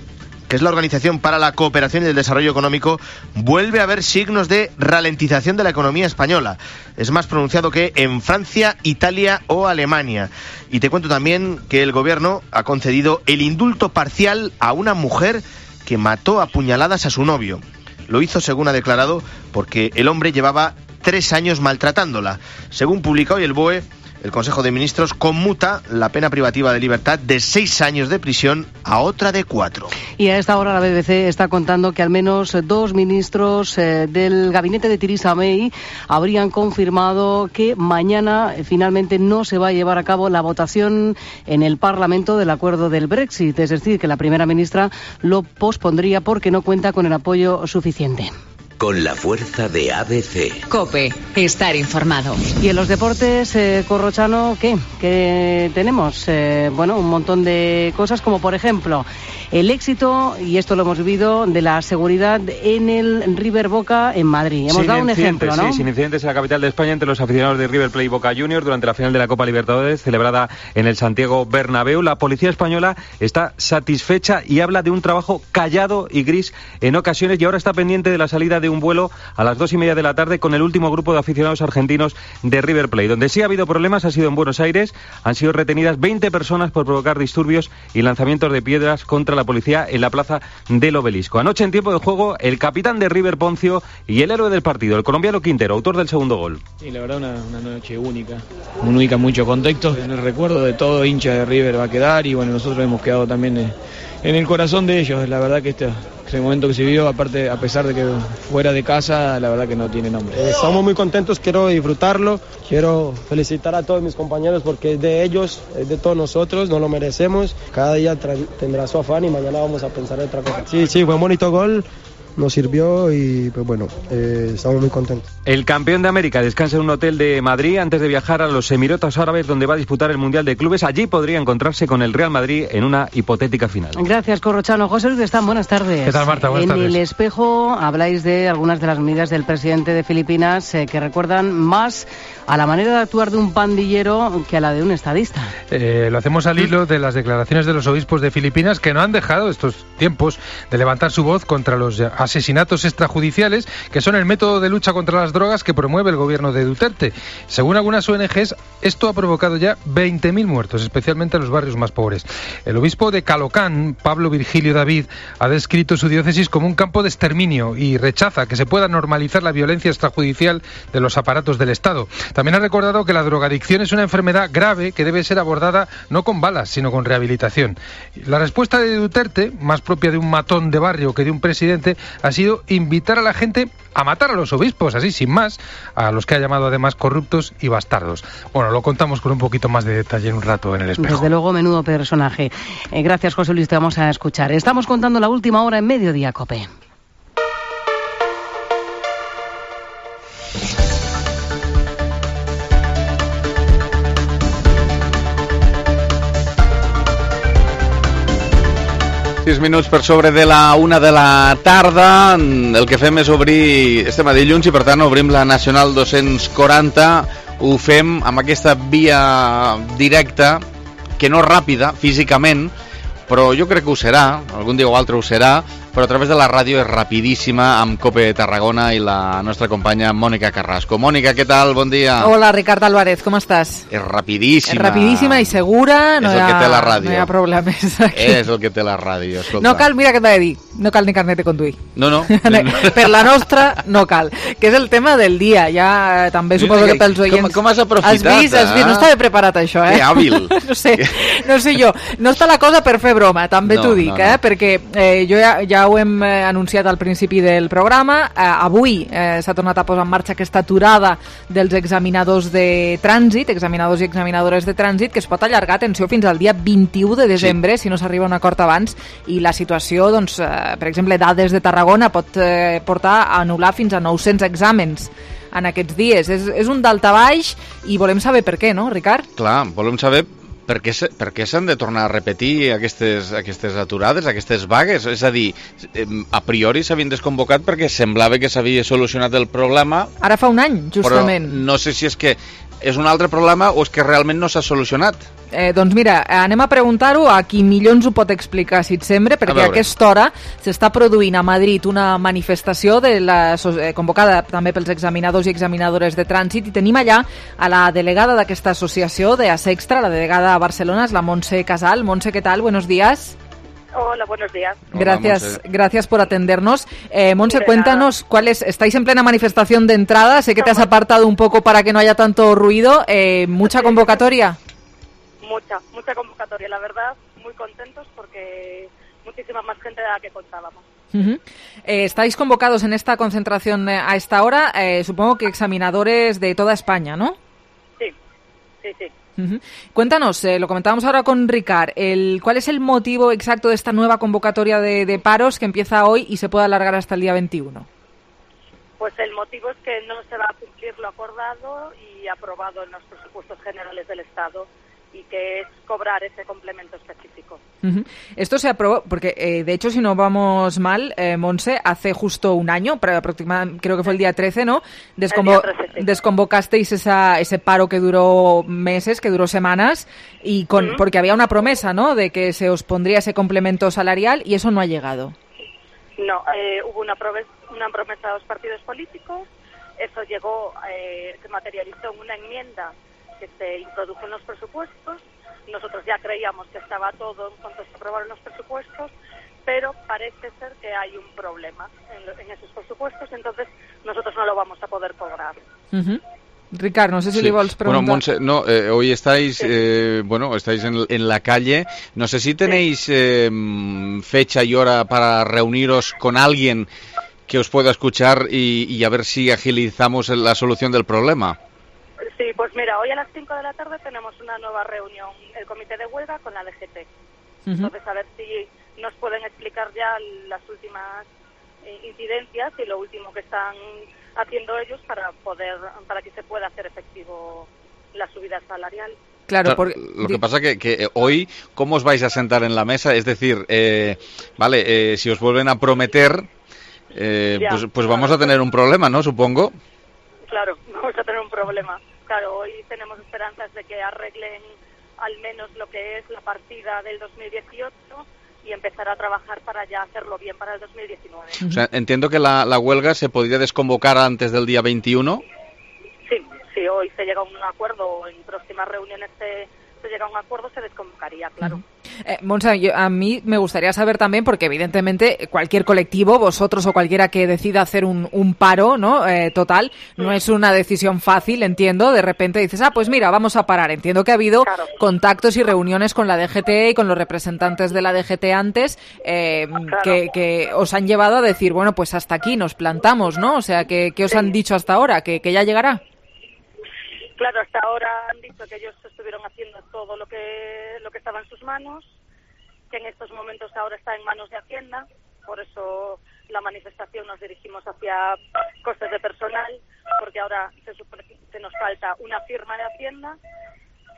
que es la Organización para la Cooperación y el Desarrollo Económico, vuelve a ver signos de ralentización de la economía española. Es más pronunciado que en Francia, Italia o Alemania. Y te cuento también que el gobierno ha concedido el indulto parcial a una mujer que mató a puñaladas a su novio. Lo hizo, según ha declarado, porque el hombre llevaba tres años maltratándola. Según publica hoy el B O E, el Consejo de Ministros conmuta la pena privativa de libertad de seis años de prisión a otra de cuatro. Y a esta hora la B B C está contando que al menos dos ministros eh, del gabinete de Theresa May habrían confirmado que mañana eh, finalmente no se va a llevar a cabo la votación en el Parlamento del acuerdo del Brexit. Es decir, que la primera ministra lo pospondría porque no cuenta con el apoyo suficiente. Con la fuerza de A B C. COPE, estar informado. Y en los deportes, eh, Corrochano, ¿qué? ¿Qué tenemos? Eh, bueno, un montón de cosas, como por ejemplo, el éxito, y esto lo hemos vivido, de la seguridad en el River Boca en Madrid. Hemos sin dado un ejemplo, ¿no? Sí, sin incidentes en la capital de España entre los aficionados de River Plate y Boca Juniors durante la final de la Copa Libertadores celebrada en el Santiago Bernabéu. La policía española está satisfecha y habla de un trabajo callado y gris en ocasiones, y ahora está pendiente de la salida de un vuelo a las dos y media de la tarde con el último grupo de aficionados argentinos de River Plate. Donde sí ha habido problemas ha sido en Buenos Aires. Han sido retenidas veinte personas por provocar disturbios y lanzamientos de piedras contra la policía en la plaza del Obelisco. Anoche, en tiempo de juego, el capitán de River, Poncio, y el héroe del partido, el colombiano Quintero, autor del segundo gol. Sí, la verdad, una, una noche única. Única en mucho contexto. En el recuerdo de todo hincha de River va a quedar, y bueno, nosotros hemos quedado también en, en el corazón de ellos. La verdad que este... Ese momento que se vivió, aparte, a pesar de que fuera de casa, la verdad que no tiene nombre. Eh, estamos muy contentos, quiero disfrutarlo, quiero felicitar a todos mis compañeros porque es de ellos, es de todos nosotros, nos lo merecemos. Cada día tendrá su afán y mañana vamos a pensar en otra cosa. Sí, sí, fue un bonito gol. nos sirvió y pues bueno, eh, estamos muy contentos. El campeón de América descansa en un hotel de Madrid antes de viajar a los Emiratos Árabes, donde va a disputar el Mundial de Clubes. Allí podría encontrarse con el Real Madrid en una hipotética final. Gracias, Corrochano. José Luis de Están, buenas tardes. ¿Qué tal, Marta? Buenas en tardes. El Espejo habláis de algunas de las medidas del presidente de Filipinas eh, que recuerdan más a la manera de actuar de un pandillero que a la de un estadista. Eh, lo hacemos al hilo de las declaraciones de los obispos de Filipinas, que no han dejado estos tiempos de levantar su voz contra los asesinatos extrajudiciales, que son el método de lucha contra las drogas que promueve el gobierno de Duterte. Según algunas O N Ges, esto ha provocado ya veinte mil muertos, especialmente en los barrios más pobres. El obispo de Calocán, Pablo Virgilio David, ha descrito su diócesis como un campo de exterminio y rechaza que se pueda normalizar la violencia extrajudicial de los aparatos del Estado. También ha recordado que la drogadicción es una enfermedad grave que debe ser abordada no con balas, sino con rehabilitación. La respuesta de Duterte, más propia de un matón de barrio que de un presidente, ha sido invitar a la gente a matar a los obispos, así sin más, a los que ha llamado además corruptos y bastardos. Bueno, lo contamos con un poquito más de detalle en un rato en El Espejo. Desde luego, menudo personaje. Eh, gracias, José Luis, te vamos a escuchar. Estamos contando la última hora en Mediodía, COPE. sis minuts per sobre de la una de la tarda. El que fem és obrir, estem a dilluns i per tant obrim la Nacional dos-cents quaranta. Ho fem amb aquesta via directa, que no és ràpida físicament, però jo crec que ho serà, algun dia o altre ho serà, però a través de la ràdio és rapidíssima amb COPE Tarragona i la nostra companya Mònica Carrasco. Mònica, què tal? Bon dia. Hola, Ricard Álvarez, com estàs? És rapidíssima. És rapidíssima i segura, no, és el hi ha, que té la ràdio. no hi ha problemes. Aquí. És el que té la ràdio, escolta. No cal, mira què t'he de dir, no cal ni carnet de conduir. No, no. Per la nostra no cal, que és el tema del dia, ja també suposo que pels oients... Com, com has aprofitat, has vist, has vist, no estava preparat això, eh? Que hàbil. No sé, no sé jo, no està la cosa per fer broma, també no, t'ho dic, no, no. eh? Perquè eh, jo ja, ja ho hem eh, anunciat al principi del programa, eh, avui eh, s'ha tornat a posar en marxa aquesta aturada dels examinadors de trànsit, examinadors i examinadores de trànsit, que es pot allargar, atenció, fins al dia vint-i-u de desembre, sí. si no s'arriba a un acord abans, i la situació, doncs, eh, per exemple, Dades de Tarragona pot eh, portar a anul·lar fins a nou-cents exàmens en aquests dies. És, és un daltabaix i volem saber per què, no, Ricard? Clar, volem saber per què, per què s'han de tornar a repetir aquestes, aquestes aturades, aquestes vagues? És a dir, a priori s'havien desconvocat perquè semblava que s'havia solucionat el problema. Ara fa un any, justament. Però no sé si és que és un altre problema o és que realment no s'ha solucionat. Eh, doncs mira, anem a preguntar-ho a qui millor ens ho pot explicar, si et sembla, perquè a, a aquesta hora s'està produint a Madrid una manifestació de la, eh, convocada també pels examinadors i examinadores de trànsit, i tenim allà a la delegada d'aquesta associació de Asextra, la delegada a Barcelona, és la Montse Casal. Montse, ¿qué tal? Buenos días. Hola, buenos días. Gracias, Hola, gracias por atendernos. Eh, Montse, De cuéntanos, ¿cuál es? Estáis en plena manifestación de entrada, sé que te has apartado un poco para que no haya tanto ruido. Eh, ¿Mucha convocatoria? Mucha, mucha convocatoria, la verdad, muy contentos porque muchísima más gente de la que contábamos. Uh-huh. eh, estáis convocados en esta concentración eh, a esta hora, eh, supongo que examinadores de toda España, ¿no? Sí, sí, sí. Uh-huh. Cuéntanos, eh, lo comentábamos ahora con Ricard, el, ¿cuál es el motivo exacto de esta nueva convocatoria de, de paros que empieza hoy y se puede alargar hasta el día veintiuno? Pues el motivo es que no se va a cumplir lo acordado y aprobado en los presupuestos generales del Estado, y que es cobrar ese complemento específico. Uh-huh. Esto se aprobó, porque eh, de hecho, si no vamos mal, eh, Montse, hace justo un año, pero aproximadamente, creo que fue el día trece, ¿no? Desconvo- el día trece, sí. Desconvocasteis esa, ese paro que duró meses, que duró semanas, y con uh-huh. porque había una promesa, ¿no?, de que se os pondría ese complemento salarial, y eso no ha llegado. No, eh, hubo una, promesa, una promesa a los partidos políticos, eso llegó, eh, se materializó en una enmienda que se introdujo en los presupuestos. Nosotros ya creíamos que estaba todo en cuanto se aprobaron los presupuestos, pero parece ser que hay un problema en, en esos presupuestos, entonces nosotros no lo vamos a poder cobrar. Uh-huh. Ricard, no sé si sí. le vols preguntar. Bueno, Montse, no, eh, hoy estáis, sí. eh, bueno, estáis en, en la calle. No sé si tenéis sí. eh, fecha y hora para reuniros con alguien que os pueda escuchar y, y a ver si agilizamos la solución del problema. Sí, pues mira, hoy a las cinco de la tarde tenemos una nueva reunión, el comité de huelga con la D G T. Uh-huh. Entonces, a ver si nos pueden explicar ya las últimas eh, incidencias y lo último que están haciendo ellos para poder, para que se pueda hacer efectivo la subida salarial. Claro, por... Lo que pasa que, que hoy, ¿cómo os vais a sentar en la mesa? Es decir, eh, vale, eh, si os vuelven a prometer, eh, Ya, pues, pues vamos a tener un problema, ¿no? Supongo. Claro, vamos a tener un problema. Claro, hoy tenemos esperanzas de que arreglen al menos lo que es la partida del dos mil dieciocho y empezar a trabajar para ya hacerlo bien para el dos mil diecinueve. O sea, entiendo que la, la huelga se podría desconvocar antes del día veintiuno. Sí, si hoy se llega a un acuerdo o en próximas reuniones se, se llega a un acuerdo, se desconvocaría, claro. Uh-huh. Eh, Montse, yo, a mí me gustaría saber también, porque evidentemente cualquier colectivo, vosotros o cualquiera que decida hacer un, un paro, ¿no? Eh, total, no es una decisión fácil, entiendo. De repente dices, ah, pues mira, vamos a parar. Entiendo que ha habido claro. contactos y reuniones con la D G T y con los representantes de la D G T antes eh, claro. que, que os han llevado a decir, bueno, pues hasta aquí nos plantamos, ¿no? O sea, ¿qué, qué os sí. han dicho hasta ahora? ¿Que, que ya llegará? Claro, hasta ahora han dicho que ellos estuvieron haciendo todo lo que lo que estaba en sus manos, que en estos momentos ahora está en manos de Hacienda, por eso la manifestación nos dirigimos hacia costes de personal, porque ahora se supone que se nos falta una firma de Hacienda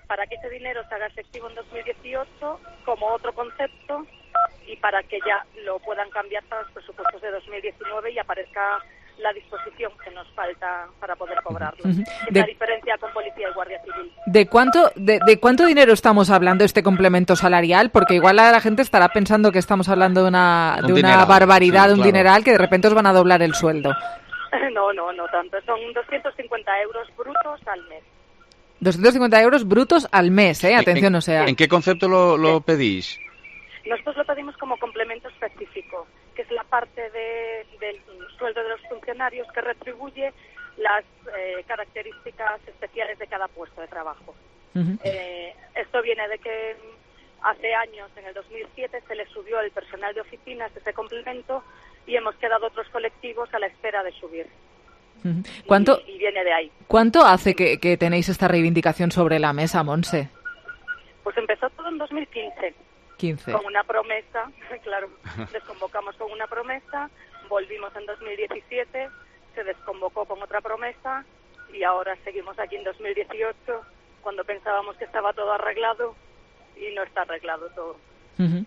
para que ese dinero se haga efectivo en dos mil dieciocho como otro concepto y para que ya lo puedan cambiar para los presupuestos de dos mil diecinueve y aparezca la disposición que nos falta para poder cobrarlo. Uh-huh. Es de, la diferencia con Policía y Guardia Civil. ¿De cuánto de, de cuánto dinero estamos hablando este complemento salarial? Porque igual la, la gente estará pensando que estamos hablando de una, de una barbaridad, sí, de un claro. dineral, que de repente os van a doblar el sueldo. No, no, no tanto. Son doscientos cincuenta euros brutos al mes. doscientos cincuenta euros brutos al mes, ¿eh? Atención, ¿En, o sea... ¿En qué concepto lo, lo pedís? Nosotros lo pedimos como complemento específico, que es la parte de, del sueldo de los funcionarios que retribuye las eh, características especiales de cada puesto de trabajo. Uh-huh. Eh, esto viene de que hace años, en el dos mil siete, se le subió el personal de oficinas ese complemento y hemos quedado otros colectivos a la espera de subir. Uh-huh. ¿Cuánto, y, y viene de ahí. ¿Cuánto hace que, que tenéis esta reivindicación sobre la mesa, Montse? Pues empezó todo en dos mil quince. quince. Con una promesa, claro, desconvocamos con una promesa, volvimos en dos mil diecisiete, se desconvocó con otra promesa y ahora seguimos aquí en dos mil dieciocho cuando pensábamos que estaba todo arreglado y no está arreglado todo. Uh-huh.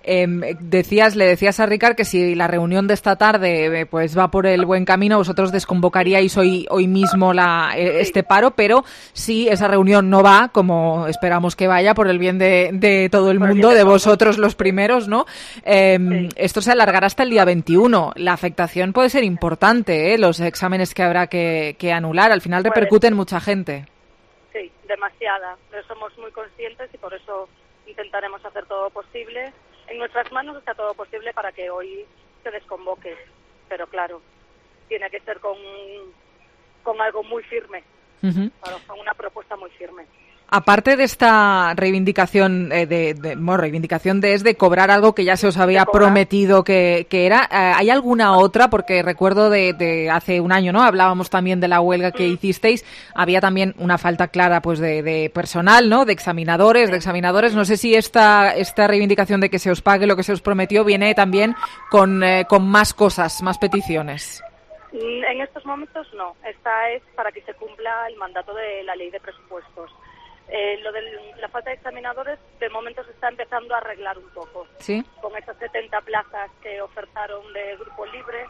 Eh, decías, le decías a Ricard que si la reunión de esta tarde eh, pues va por el buen camino, vosotros desconvocaríais hoy hoy mismo la, eh, este paro, pero si esa reunión no va, como esperamos que vaya, por el bien de, de todo el mundo, de vosotros los primeros, ¿no? Eh, sí. Esto se alargará hasta el día veintiuno. La afectación puede ser importante, ¿eh? Los exámenes que habrá que, que anular, al final repercuten en mucha gente. Sí, demasiada, pero somos muy conscientes y por eso intentaremos hacer todo lo posible. En nuestras manos está todo posible para que hoy se desconvoque, pero claro, tiene que ser con, con algo muy firme, uh-huh. con una propuesta muy firme. Aparte de esta reivindicación, eh, de, de bueno, reivindicación de es de cobrar algo que ya se os había prometido que, que era, eh, ¿hay alguna otra? Porque recuerdo de, de hace un año, ¿no? Hablábamos también de la huelga que hicisteis, había también una falta clara pues de, de personal, ¿no? De examinadores, de examinadores. No sé si esta esta reivindicación de que se os pague lo que se os prometió viene también con, eh, con más cosas, más peticiones. En estos momentos no. Esta es para que se cumpla el mandato de la ley de presupuestos. Eh, lo de la falta de examinadores, de momento se está empezando a arreglar un poco. ¿Sí? Con esas setenta plazas que ofertaron de Grupo Libre,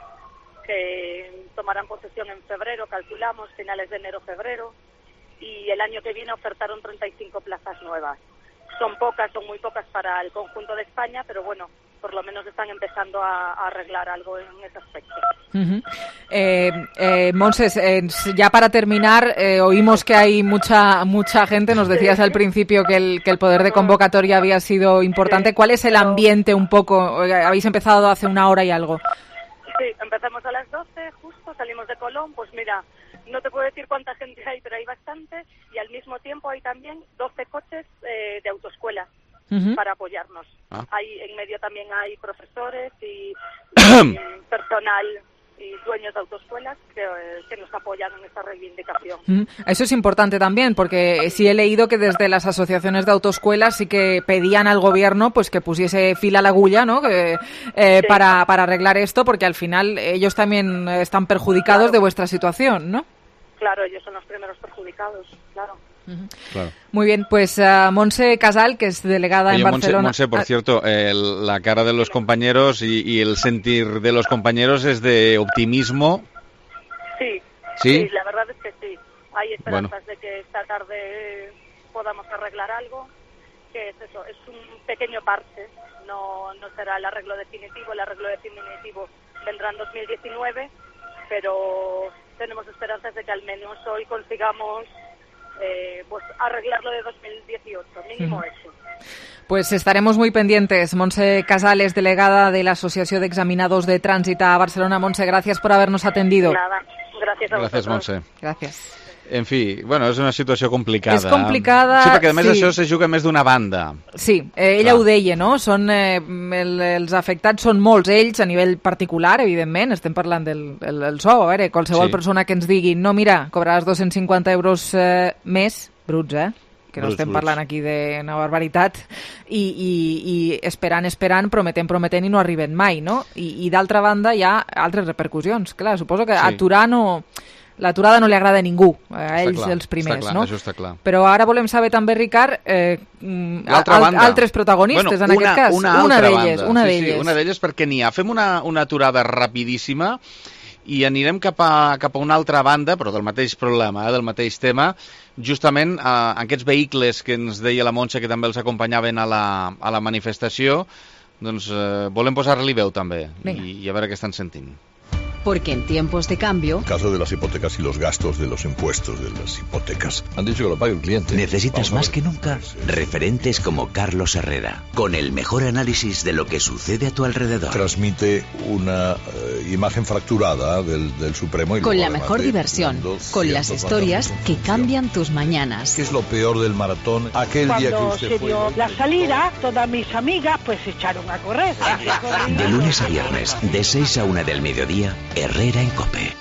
que tomarán posesión en febrero, calculamos, finales de enero-febrero, y el año que viene ofertaron treinta y cinco plazas nuevas. Son pocas, son muy pocas para el conjunto de España, pero bueno, por lo menos están empezando a, a arreglar algo en ese aspecto. Uh-huh. Eh, eh, Monses, eh, ya para terminar, eh, oímos que hay mucha mucha gente, nos decías al principio que el, que el poder de convocatoria había sido importante. ¿Cuál es el ambiente un poco? Habéis empezado hace una hora y algo. Sí, empezamos a las doce, justo, salimos de Colón, pues mira, no te puedo decir cuánta gente hay, pero hay bastante, y al mismo tiempo hay también doce coches eh, de autoescuela uh-huh. para apoyarnos. Ah. Hay, en medio también hay profesores y, y personal y dueños de autoescuelas que, que nos apoyan en esta reivindicación. Mm, eso es importante también, porque sí he leído que desde las asociaciones de autoescuelas sí que pedían al gobierno pues que pusiese fil a la agulla, ¿no? Que, eh, sí. para, para arreglar esto, porque al final ellos también están perjudicados claro. de vuestra situación, ¿no? Claro, ellos son los primeros perjudicados, claro. Claro. Muy bien, pues uh, Montse Casal, que es delegada Oye, en Barcelona. Montse, Montse por cierto, eh, la cara de los compañeros y, y el sentir de los compañeros es de optimismo. Sí, sí, sí, la verdad es que sí. Hay esperanzas bueno. de que esta tarde podamos arreglar algo, que es eso, es un pequeño parche, no, no será el arreglo definitivo, el arreglo definitivo vendrá en dos mil diecinueve, pero tenemos esperanzas de que al menos hoy consigamos Eh, pues arreglarlo de dos mil dieciocho, mínimo uh-huh. eso. Pues estaremos muy pendientes. Montse Casal, delegada de la Asociación de Examinados de Trànsit a Barcelona. Montse, gracias por habernos atendido. Nada, gràcies a Gràcies, vosaltres. Montse. Gràcies. En fi, bueno, és una situació complicada. És complicada, sí, perquè a més sí. això se juga més d'una banda. Sí, eh, ella Clar. ho deia, no? Són, eh, el, els afectats són molts ells a nivell particular, evidentment, estem parlant del el, el sou, a veure, qualsevol sí. persona que ens digui no, mira, cobraràs dos-cents cinquanta euros eh, més, bruts, eh? que no bruts, estem bruts. parlant aquí d'una barbaritat, i, i, i esperant, esperant, prometent, prometent i no arriben mai, no? I, i d'altra banda hi ha altres repercussions. Clar, suposo que sí. aturar no... L'aturada no li agrada a ningú, a ells clar, els primers, clar, no? Això està clar. Però ara volem saber també, Ricard, eh, al, altres protagonistes bueno, en una, aquest cas. Una, una d'elles. Una sí, d'elles. Sí, una d'elles perquè n'hi ha. Fem una, una aturada rapidíssima i anirem cap a, cap a una altra banda, però del mateix problema, eh, del mateix tema, justament eh, aquests vehicles que ens deia la Montse que també els acompanyaven a la, a la manifestació, doncs eh, volem posar-li veu també i, i a veure què estan sentint. Porque en tiempos de cambio... En caso de las hipotecas y los gastos de los impuestos de las hipotecas, han dicho que lo pague el cliente. Necesitas más que nunca referentes como Carlos Herrera, con el mejor análisis de lo que sucede a tu alrededor. Transmite una eh, imagen fracturada del, del Supremo. Y con la mejor diversión, con las historias que cambian tus mañanas. ¿Qué es lo peor del maratón? Aquel Cuando día que usted se fue... dio la salida, todas mis amigas pues se echaron a correr. De lunes a viernes, de seis a una del mediodía, Herrera en COPE.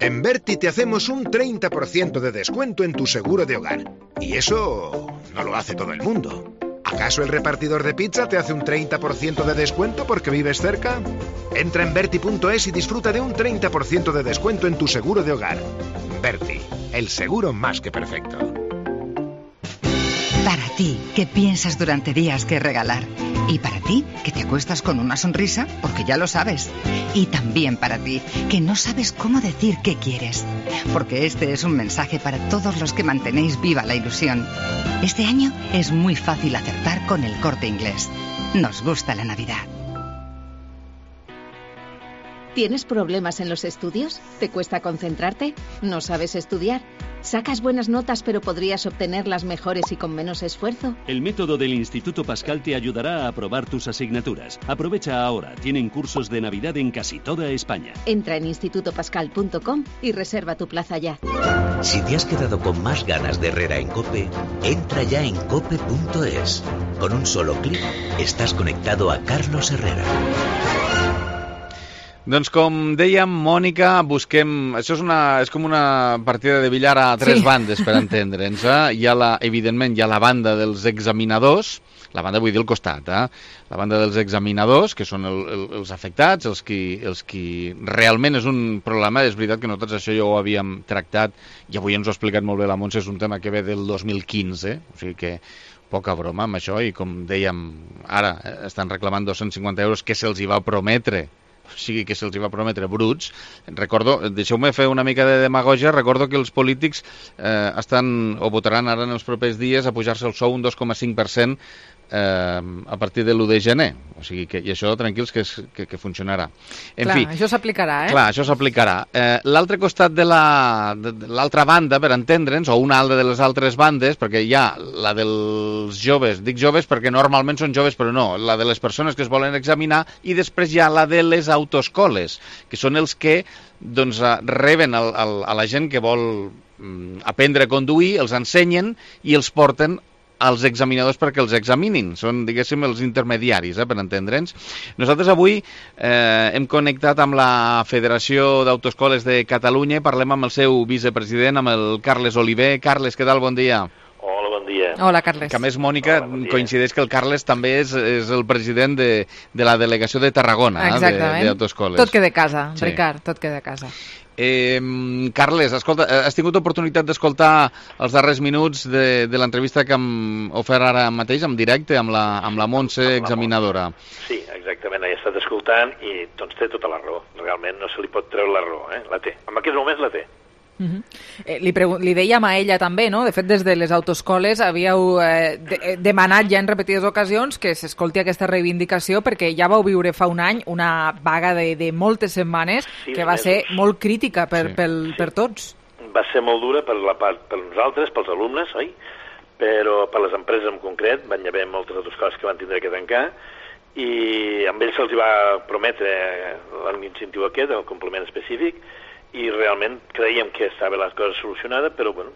En Berti te hacemos un treinta por ciento de descuento en tu seguro de hogar. Y eso no lo hace todo el mundo. ¿Acaso el repartidor de pizza te hace un treinta por ciento de descuento porque vives cerca? Entra en Berti punto es y disfruta de un treinta por ciento de descuento en tu seguro de hogar. Berti, el seguro más que perfecto. Para ti, que piensas durante días qué regalar. Y para ti, que te acuestas con una sonrisa, porque ya lo sabes. Y también para ti, que no sabes cómo decir qué quieres. Porque este es un mensaje para todos los que mantenéis viva la ilusión. Este año es muy fácil acertar con El Corte Inglés. Nos gusta la Navidad. ¿Tienes problemas en los estudios? ¿Te cuesta concentrarte? ¿No sabes estudiar? ¿Sacas buenas notas pero podrías obtenerlas mejores y con menos esfuerzo? El método del Instituto Pascal te ayudará a aprobar tus asignaturas. Aprovecha ahora, tienen cursos de Navidad en casi toda España. Entra en instituto pascal punto com y reserva tu plaza ya. Si te has quedado con más ganas de Herrera en COPE, entra ya en cope punto es. Con un solo clic estás conectado a Carlos Herrera. Doncs com dèiem, Mònica, busquem... Això és, una, és com una partida de billar a tres sí. bandes, per entendre'ns. Eh? Hi ha la, evidentment, hi ha la banda dels examinadors, la banda vull dir al costat, eh? La banda dels examinadors, que són el, el, els afectats, els qui, els qui realment és un problema. És veritat que nosaltres això ja ho havíem tractat, i avui ens ho ha explicat molt bé la Montse, és un tema que ve del dos mil quinze, o sigui que poca broma amb això, i com dèiem, ara estan reclamant dos-cents cinquanta euros que se'ls hi va prometre, o sigui que se'ls va prometre bruts. Recordo, deixeu-me fer una mica de demagogia, recordo que els polítics eh, estan o votaran ara en els propers dies a pujar-se el sou un dos coma cinc per cent eh, a partir de l'u de gener, o sigui que, i això tranquils que, és, que, que funcionarà. En clar, fi, això s'aplicarà, eh? Clar, això s'aplicarà. Eh, l'altre costat de la, de, de l'altra banda, per entendre'ns, o una altra de les altres bandes, perquè hi ha la dels joves, dic joves perquè normalment són joves, però no, la de les persones que es volen examinar, i després hi ha la de les autoescoles, que són els que doncs, reben el, el, a la gent que vol mm, aprendre a conduir, els ensenyen i els porten als examinadors perquè els examinin. Són, diguéssim, els intermediaris, eh, per entendre'ns. Nosaltres avui eh, hem connectat amb la Federació d'Autoescoles de Catalunya i parlem amb el seu vicepresident, amb el Carles Oliver. Carles, què tal? Bon dia. Hola, bon dia. Hola, Carles. Que a més, Mònica, Hola, bon coincideix que el Carles també és, és el president de, de la delegació de Tarragona, exactament, d'autoescoles. Tot queda a casa, sí. Ricard, tot queda a casa. Eh, Carles, escolta, has tingut oportunitat d'escoltar els darrers minuts de, de l'entrevista que hem ofert ara mateix, en directe, amb la, amb la Montse, examinadora. Sí, exactament, he estat escoltant i doncs té tota la raó. Realment no se li pot treure la raó, eh? La té. En aquests moments la té. Uh -huh. eh, li, li dèiem a ella també, no? De fet, des de les autoescoles havíeu eh, de, demanat ja en repetides ocasions que s'escolti aquesta reivindicació perquè ja vau viure fa un any una vaga de, de moltes setmanes sí, que va mesos. ser molt crítica per, sí. pel, sí. per tots. Va ser molt dura per, la part, per nosaltres, pels alumnes, oi? Però per les empreses en concret van haver moltes autoescoles que van tindre que tancar i amb ells se'ls va prometre l'incentiu aquest, el complement específic, i realment creiem que estava la cosa solucionada, però bueno,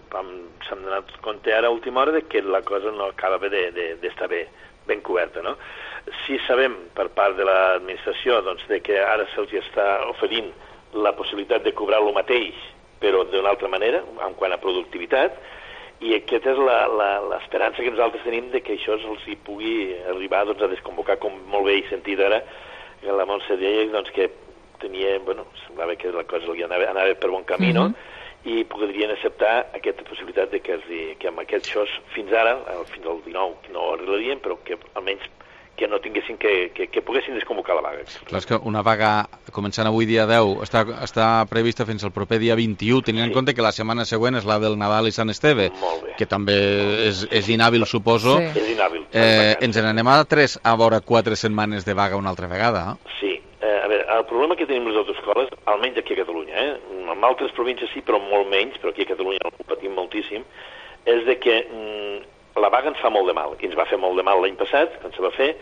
s'han donat compte ara a última hora de que la cosa no acaba d'estar bé, ben coberta, no? Si sabem per part de l'administració doncs, de que ara se'ls està oferint la possibilitat de cobrar el mateix, però d'una altra manera, en quant a productivitat, i aquesta és l'esperança que nosaltres tenim de que això se'ls hi pugui arribar doncs, a desconvocar, com molt bé he sentit ara, que la Montse deia doncs, que tenia, bueno, semblava que la cosa li anava, anava per bon camí, no? Uh-huh. I podrien acceptar aquesta possibilitat de que, que amb aquests shows fins ara, fins al dinou, no ho arreglarien, però que almenys que no tinguessin que, que, que poguessin desconvocar la vaga. Clar, és que una vaga començant avui dia deu està, està prevista fins al proper dia vint-i-u, tenint sí. en compte que la setmana següent és la del Nadal i Sant Esteve, que també és, és inhàbil, suposo. Sí. És inhàbil. Eh, ens n'anem a tres a veure quatre setmanes de vaga una altra vegada. Sí. Eh, a veure, el problema que tenim les autoescoles, almenys aquí a Catalunya, eh? En altres províncies sí, però molt menys, però aquí a Catalunya ho patim moltíssim, és de que mm, la vaga ens fa molt de mal, i ens va fer molt de mal l'any passat, quan se va fer,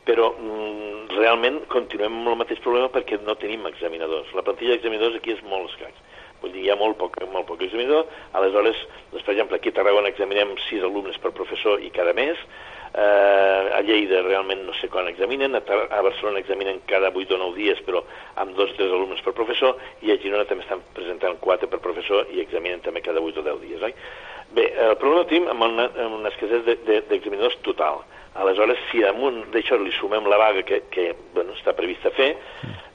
però mm, realment continuem amb el mateix problema perquè no tenim examinadors. La plantilla d'examinadors aquí és molt escaig. Vull dir, hi ha molt poc, molt poc examinador, aleshores, doncs, per exemple, aquí a Tarragona examinem sis alumnes per professor i cada mes, Uh, a Lleida realment no sé quan examinen, a, a Barcelona examinen cada vuit o nou dies, però amb dos o tres alumnes per professor, i a Girona també estan presentant quatre per professor i examinen també cada vuit o deu dies, oi? Bé, el problema el tenim amb una, amb una escassez d'examinadors de, de, total. Aleshores, si damunt d'això li sumem la vaga que, que bueno, està prevista fer,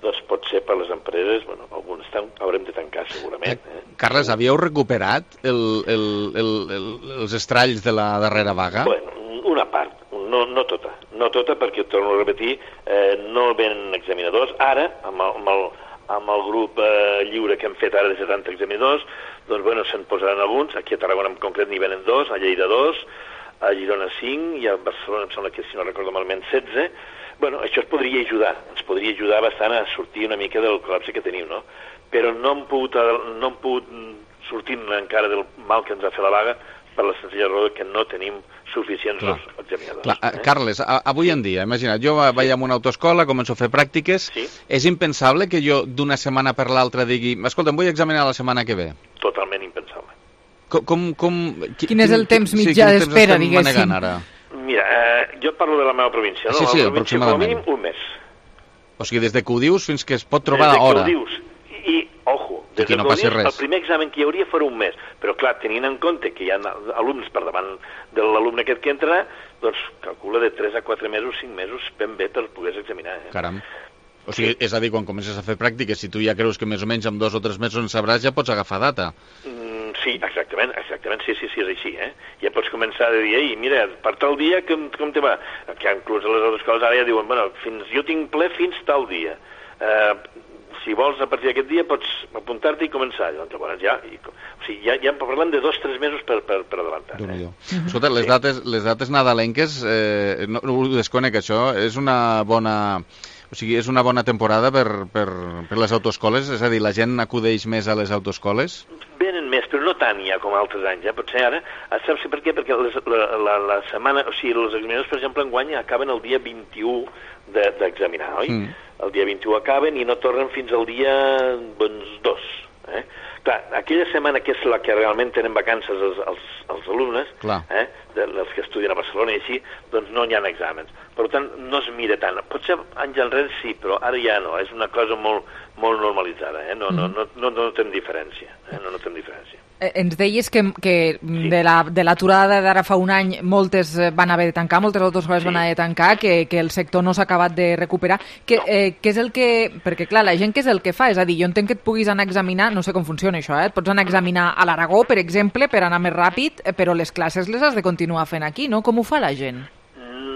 doncs pot ser per les empreses, bueno, algunes estan, haurem de tancar segurament. Eh? Carles, havíeu recuperat el, el, el, el, els estralls de la darrera vaga? Bueno, una part, no, no tota, no tota perquè, torno a repetir, eh, no venen examinadors. Ara, amb el, amb el, amb el grup eh, lliure que hem fet ara de setanta examinadors, doncs bueno, se'n posaran alguns, aquí a Tarragona en concret n'hi venen dos, a Lleida dos, a Girona cinc i a Barcelona em sembla que, si no recordo malament, setze. Bueno, això es podria ajudar, ens podria ajudar bastant a sortir una mica del col·lapse que tenim, no? Però no hem pogut, no hem pogut sortir encara del mal que ens ha fet la vaga per la senzilla raó que no tenim suficients Clar. examinadors. Clar. Eh? Carles, a, avui en dia, imagina't, jo sí. vaig a una autoescola, començo a fer pràctiques, sí. és impensable que jo d'una setmana per l'altra digui, escolta, em vull examinar la setmana que ve? Totalment impensable. Com, com, com, qui, quin és el temps mitjà sí, d'espera, diguéssim? Ara? Mira, eh, jo parlo de la meva província, no? Sí, sí, la província, aproximadament. Com a mínim un mes. O sigui, des de que ho dius fins que es pot trobar a hora. Des de que ho dius. I, ojo, des que de no passi res. El primer examen que hi hauria fora un mes, però clar, tenint en compte que hi ha alumnes per davant de l'alumne aquest que entrarà, doncs calcula de tres a quatre mesos, cinc mesos, ben bé per poder examinar. Eh? Caram. O sigui, és a dir, quan comences a fer pràctiques, si tu ja creus que més o menys amb dos o tres mesos en sabràs, ja pots agafar data. Mm, sí, exactament, exactament, sí, sí, sí, és així, eh? Ja pots començar a dir, ei, mira, per tal dia, com, com te va? Que inclús a les altres escoles ara ja diuen, bueno, fins, jo tinc ple fins tal dia. Eh... Si vols, a partir d'aquest dia, pots apuntar-te i començar. Doncs, llavors, ja, i, o sigui, ja, ja parlem de dos o tres mesos per, per, per adelantar. Eh? Uh-huh. Escolta, les, sí. dates, les dates nadalenques, eh, no, no ho desconec, això, és una bona... O sigui, és una bona temporada per, per, per les autoescoles? És a dir, la gent acudeix més a les autoescoles? Venen més, però no tant ja com altres anys. Eh? Potser ara, saps per què? Perquè les, la, la, la setmana... O sigui, els examinadors, per exemple, enguany acaben el dia vint-i-u d'examinar, de, oi? Mm. El dia vint-i-u acaben i no tornen fins al dia doncs, dos. Eh? Clar, aquella setmana que és la que realment tenen vacances els, els, els alumnes, eh, de, els que estudien a Barcelona i així, doncs no hi ha exàmens. Per tant, no es mira tant. Potser anys enrere sí, però ara ja no. És una cosa molt, molt normalitzada. Eh? No, no, no, no, no notem diferència. Eh? No notem diferència. Eh, ens deies que, que sí. de la, de l'aturada d'ara fa un any moltes van haver de tancar, moltes autoescoles sí. van haver de tancar, que, que el sector no s'ha acabat de recuperar. Que, no. eh, que és el que... Perquè, clar, la gent què és el que fa? És a dir, jo entenc que et puguis anar a examinar, no sé com funciona això, eh? Et pots anar a examinar a l'Aragó, per exemple, per anar més ràpid, però les classes les has de continuar fent aquí, no? Com ho fa la gent?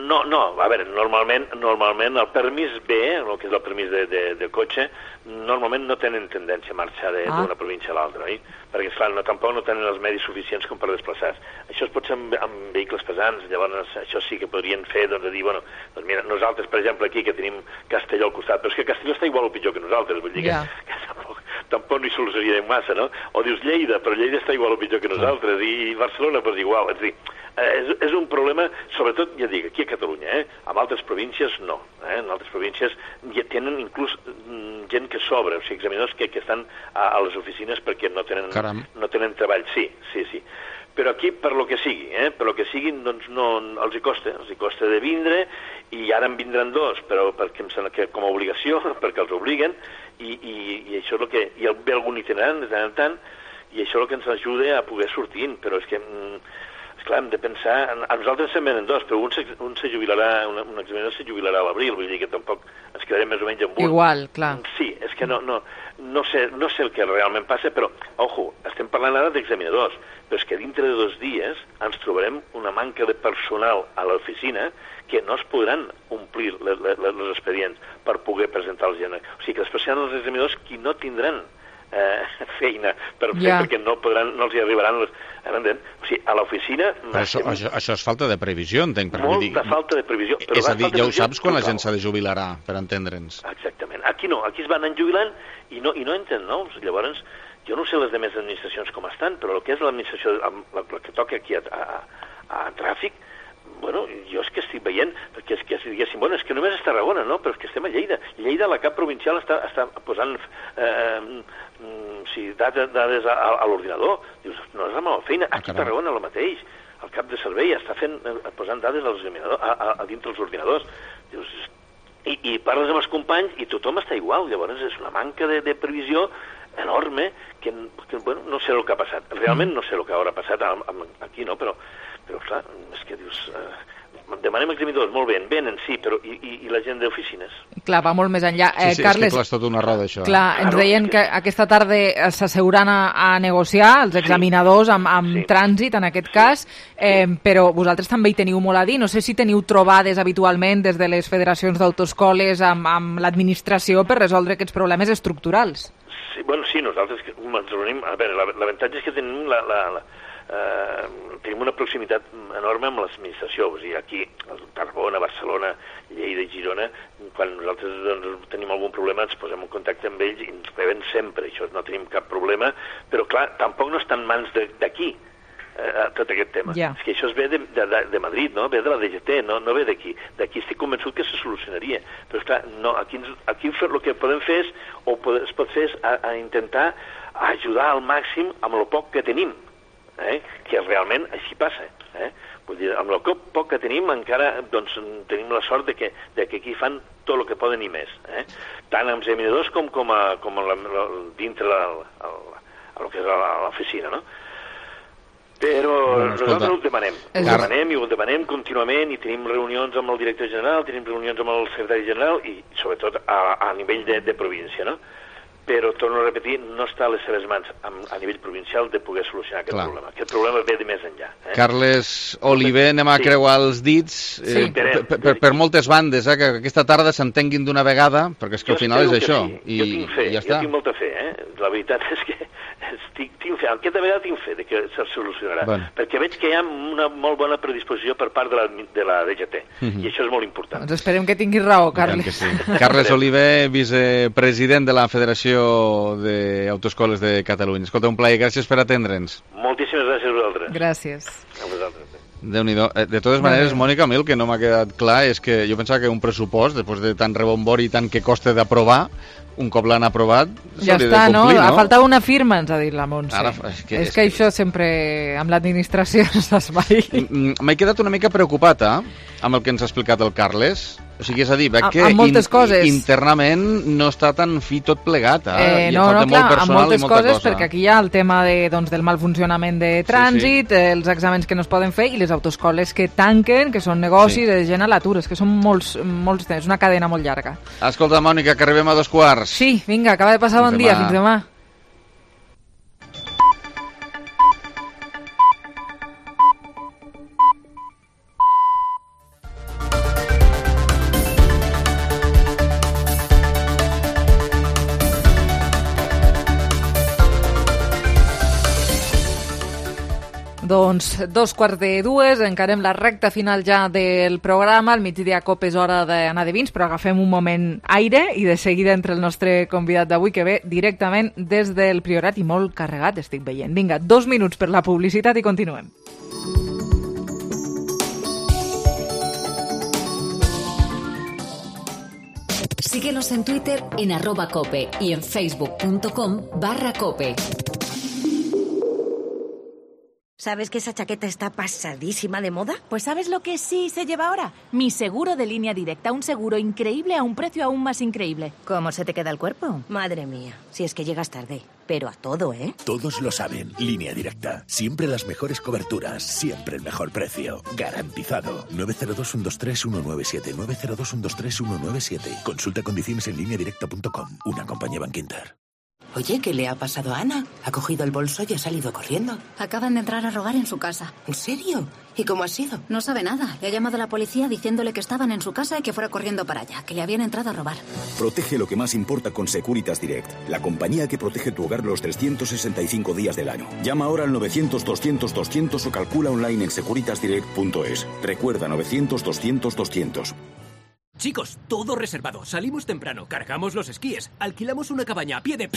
No, no, a veure, normalment, normalment el permís B, el que és el permís de, de, de cotxe, normalment no tenen tendència a marxar d'una ah. província a l'altra, oi? Perquè, esclar, no, tampoc no tenen els medis suficients com per desplaçar-se. Això es pot fer amb, amb vehicles pesants, llavors això sí que podrien fer, doncs, de dir, bueno, doncs mira, nosaltres, per exemple, aquí, que tenim Castelló al costat, però és que Castelló està igual o pitjor que nosaltres, vull dir yeah. que, que tampoc, tampoc no hi solucionaríem massa, no? O dius Lleida, però Lleida està igual o pitjor que nosaltres, i Barcelona, doncs igual, és a dir, és, és un problema, sobretot, ja dic, aquí a Catalunya, eh? En altres províncies no, eh? En altres províncies ja tenen inclús gent que sobra, o sigui, examinadors que, que estan a, a les oficines perquè no tenen, no tenen treball, sí, sí, sí. Però aquí, per lo que sigui, eh? per lo que sigui, doncs no, els hi costa, els hi costa de vindre, i ara en vindran dos, però perquè em sembla que com a obligació, perquè els obliguen, i, i, i això és el que... I el, ve algun itinerant de tant en tant, i això és el que ens ajuda a poder sortir, però és que... Esclar, hem de pensar... A nosaltres se'n venen dos, però un se, un se jubilarà, un, un examinador se jubilarà a l'abril, vull dir que tampoc ens quedarem més o menys amb un. Igual, clar. Sí, és que no, no, no, sé, no sé el que realment passa, però, ojo, estem parlant ara d'examinadors, però és que dintre de dos dies ens trobarem una manca de personal a l'oficina que no es podran omplir les, les, les expedients per poder presentar els gent. O sigui que després seran els examinadors qui no tindran Eh, feina per fer, yeah. perquè no, podran, no els hi arribaran les... O sigui, a l'oficina... Però això, això, això és falta de previsió, entenc. Per Molta dir... falta de previsió. Però és a dir, ja ho saps quan la gent s'ha de jubilarà, per entendre'ns. Exactament. Aquí no, aquí es van jubilant i no, i no entren nous. Llavors, jo no sé les demés administracions com estan, però el que és l'administració, la, la que toca aquí a, a, a tràfic, bueno, jo és que estic veient, perquè és que si diguéssim, bueno, és que només és Tarragona, no? Però és que estem a Lleida. Lleida, la cap provincial, està, està posant eh, sí, dades, dades a, a l'ordinador. Dius, no és la meva feina. Aquí a Tarragona el mateix. El cap de servei està fent, posant dades als a, a, a dintre els ordinadors. Dius, i, i parles amb els companys i tothom està igual. Llavors és una manca de, de previsió enorme que, que bueno, no sé el que ha passat. Realment no sé el que haurà passat aquí, no? Però Però, clar, és que dius... Eh, demanem examinadors, molt bé, venen, sí, però i, i, i la gent d'oficines? Clar, va molt més enllà. Eh, sí, sí, Carles, és que clar, és tot una roda, això. Clar, ens claro, deien que... que aquesta tarda s'asseuran a, a negociar els examinadors amb, amb sí. trànsit, en aquest cas, eh, però vosaltres també hi teniu molt a dir. No sé si teniu trobades habitualment des de les federacions d'autoescoles amb, amb l'administració per resoldre aquests problemes estructurals. Sí, bueno, sí, nosaltres ens reunim... A veure, l'avantatge és que tenim la... la, la Uh, tenim una proximitat enorme amb l'administració, o sigui, aquí, a Tarragona, Barcelona, Lleida i Girona, quan nosaltres doncs, tenim algun problema ens posem en contacte amb ells i ens reben sempre, això no tenim cap problema, però clar, tampoc no està en mans d'aquí uh, tot aquest tema. Yeah. És que això es ve de, de, de Madrid, no? Ve de la D G T, no, no ve d'aquí. D'aquí estic convençut que se solucionaria, però esclar, no, aquí, aquí el que podem fer és, o es pot fer és a, a intentar ajudar al màxim amb el poc que tenim. Eh? Que realment així passa. Eh? Vull dir, amb el poc que tenim encara doncs, tenim la sort de que, de que aquí fan tot el que poden i més. Eh? Tant amb examinadors com, com, a, com a la, la, dintre la, la, la, el que és l'oficina, no? Però bueno, nosaltres ho demanem. Ho demanem i ho demanem contínuament i tenim reunions amb el director general, tenim reunions amb el secretari general i sobretot a, a nivell de, de província, no? Però, torno a repetir, no està a les seves mans a, a nivell provincial de poder solucionar aquest Clar. problema. Aquest problema ve de més enllà. Eh? Carles Oliver, anem a sí. creuar els dits sí. eh, per, per, per moltes bandes, eh, que aquesta tarda s'entenguin d'una vegada, perquè és que jo al final és això. Sí. I, jo tinc fe, i ja jo està. tinc molta fe. Eh? La veritat és que estic, tinc fe. Aquesta vegada tinc fe de que se solucionarà. Bueno. Perquè veig que hi ha una molt bona predisposició per part de la, de la D G T. Mm-hmm. I això és molt important. Doncs esperem que tinguis raó, Carles. Sí. Carles Oliver, vicepresident de la Federació d'Autoescoles de Catalunya. Escolta, un plaer, gràcies per atendre'ns. Moltíssimes gràcies a vosaltres. Gràcies. A vosaltres. Déu-n'hi-do. De totes maneres, Mònica, a mi el que no m'ha quedat clar és que jo pensava que un pressupost, després de tant rebombori i tant que costa d'aprovar, un cop l'han aprovat, ja s'hauria està, de complir, no? no? Faltava una firma, ens ha dit la Montse. Ara, és que, és que això sempre, amb l'administració, s'espai. M'he quedat una mica preocupat, eh? Amb el que ens ha explicat el Carles. O sigui, és a dir, veig que amb moltes in, coses. internament no està tan fi tot plegat, eh? Eh, no, no, clar, amb moltes coses, perquè aquí hi ha el tema de, doncs, del mal funcionament de trànsit, sí, sí. els exàmens que no es poden fer i les autoescoles que tanquen, que són negocis, sí. de gent a l'atur, és que són molts, molts temps, una cadena molt llarga. Escolta, Mònica, que arribem a dos quarts. Sí, vinga, acaba de passar bon dia, fins demà. Doncs dos quarts de dues, encarem la recta final ja del programa. Al migdia cop és hora d'anar de vins, però agafem un moment aire i de seguida entre el nostre convidat d'avui, que ve directament des del Priorat i molt carregat, estic veient. Vinga, dos minuts per la publicitat i continuem. Síguenos en Twitter en arroba cope y en facebook.com barra cope. ¿Sabes que esa chaqueta está pasadísima de moda? Pues ¿sabes lo que sí se lleva ahora? Mi seguro de Línea Directa, un seguro increíble a un precio aún más increíble. ¿Cómo se te queda el cuerpo? Madre mía, si es que llegas tarde. Pero a todo, ¿eh? Todos lo saben. Línea Directa. Siempre las mejores coberturas. Siempre el mejor precio. Garantizado. nueve cero dos, uno dos tres, uno nueve siete. nueve cero dos, uno dos tres, uno nueve siete. Consulta condiciones en línea directa punto com. Una compañía Bankinter. Oye, ¿qué le ha pasado a Ana? Ha cogido el bolso y ha salido corriendo. Acaban de entrar a robar en su casa. ¿En serio? ¿Y cómo ha sido? No sabe nada. Le ha llamado a la policía diciéndole que estaban en su casa y que fuera corriendo para allá, que le habían entrado a robar. Protege lo que más importa con Securitas Direct, la compañía que protege tu hogar los trescientos sesenta y cinco días del año. Llama ahora al novecientos, doscientos, doscientos o calcula online en securitas direct punto es. Recuerda novecientos, doscientos, doscientos. Chicos, todo reservado. Salimos temprano, cargamos los esquíes, alquilamos una cabaña a pie de...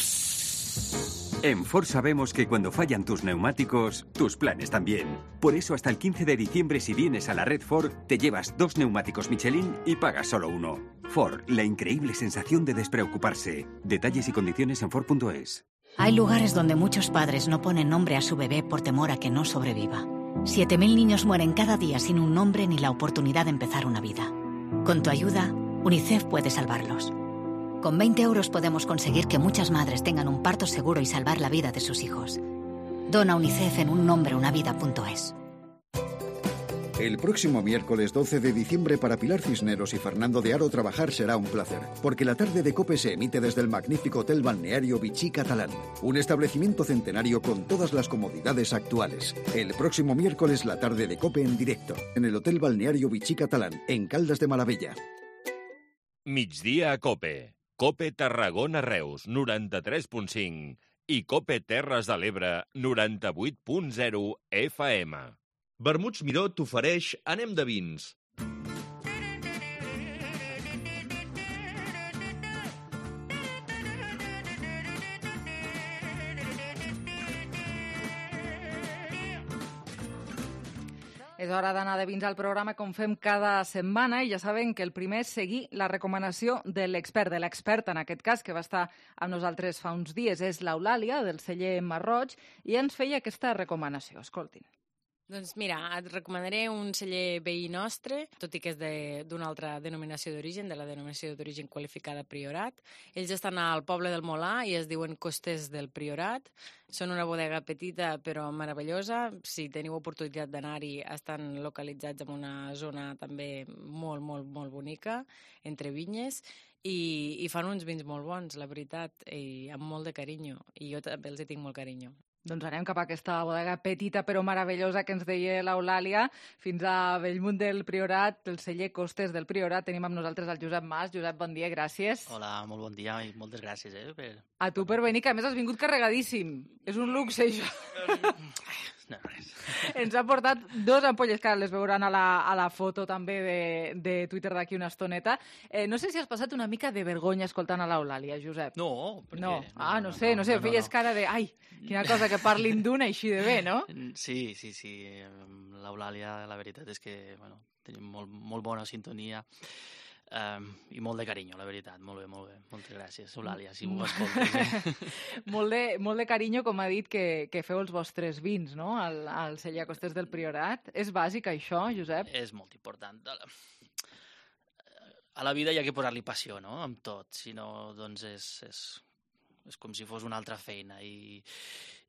En Ford sabemos que cuando fallan tus neumáticos, tus planes también. Por eso hasta el quince de diciembre, si vienes a la red Ford, te llevas dos neumáticos Michelin y pagas solo uno. Ford, la increíble sensación de despreocuparse. Detalles y condiciones en Ford punto es. Hay lugares donde muchos padres no ponen nombre a su bebé por temor a que no sobreviva. siete mil niños mueren cada día sin un nombre ni la oportunidad de empezar una vida. Con tu ayuda, UNICEF puede salvarlos. Con veinte euros podemos conseguir que muchas madres tengan un parto seguro y salvar la vida de sus hijos. Dona UNICEF en un nombre una vida punto es. El próximo miércoles doce de diciembre para Pilar Cisneros y Fernando de Aro trabajar será un placer, porque la tarde de COPE se emite desde el magnífico Hotel Balneario Vichy Catalán, un establecimiento centenario con todas las comodidades actuales. El próximo miércoles la tarde de COPE en directo, en el Hotel Balneario Vichy Catalán, en Caldas de Malavella. Migdia a COPE. COPE Tarragona Reus, noranta-tres punt cinc. I COPE Terres de l'Ebre, noranta-vuit punt zero F M. Vermuts Miró t'ofereix Anem de vins. És hora d'anar de vins al programa com fem cada setmana i ja saben que el primer és seguir la recomanació de l'expert, de l'experta en aquest cas, que va estar amb nosaltres fa uns dies, és l'Eulàlia, del celler Marroig, i ens feia aquesta recomanació. Escoltin. Doncs mira, et recomanaré un celler veí nostre, tot i que és d'una altra denominació d'origen, de la denominació d'origen qualificada Priorat. Ells estan al poble del Molà i es diuen Costes del Priorat. Són una bodega petita però meravellosa. Si teniu oportunitat d'anar-hi, estan localitzats en una zona també molt, molt, molt bonica, entre vinyes, i, i fan uns vins molt bons, la veritat, i amb molt de carinyo. I jo també els hi tinc molt carinyo. Doncs anem cap a aquesta bodega petita però meravellosa que ens deia l'Eulàlia, fins a Bellmunt del Priorat, el celler Costes del Priorat. Tenim amb nosaltres el Josep Mas. Josep, bon dia, gràcies. Hola, molt bon dia i moltes gràcies. Eh, per... A tu per venir, que a més has vingut carregadíssim. És un luxe, això. No, res. Ens ha portat dos ampolles, que ara les veuran a la, a la foto també de, de Twitter d'aquí una estoneta. Eh, no sé si has passat una mica de vergonya escoltant a l'Eulàlia, Josep. No, perquè... No. Ah, no, no sé, no, no sé, no, no, feies no. cara de... Ai, quina cosa que parlin d'una així de bé, no? Sí, sí, sí. L'Eulàlia, la veritat és que, bueno, tenim molt, molt bona sintonia. Um, I molt de carinyo, la veritat. Molt bé, molt bé. Moltes gràcies, Eulàlia, si m'ho escoltes. Eh? molt, de, molt de carinyo, com ha dit, que, que feu els vostres vins, no?, al, al celler Costers del Priorat. És bàsic això, Josep? És molt important. A la vida hi ha que posar-li passió, no?, amb tot. Si no, doncs és, és, és com si fos una altra feina. I,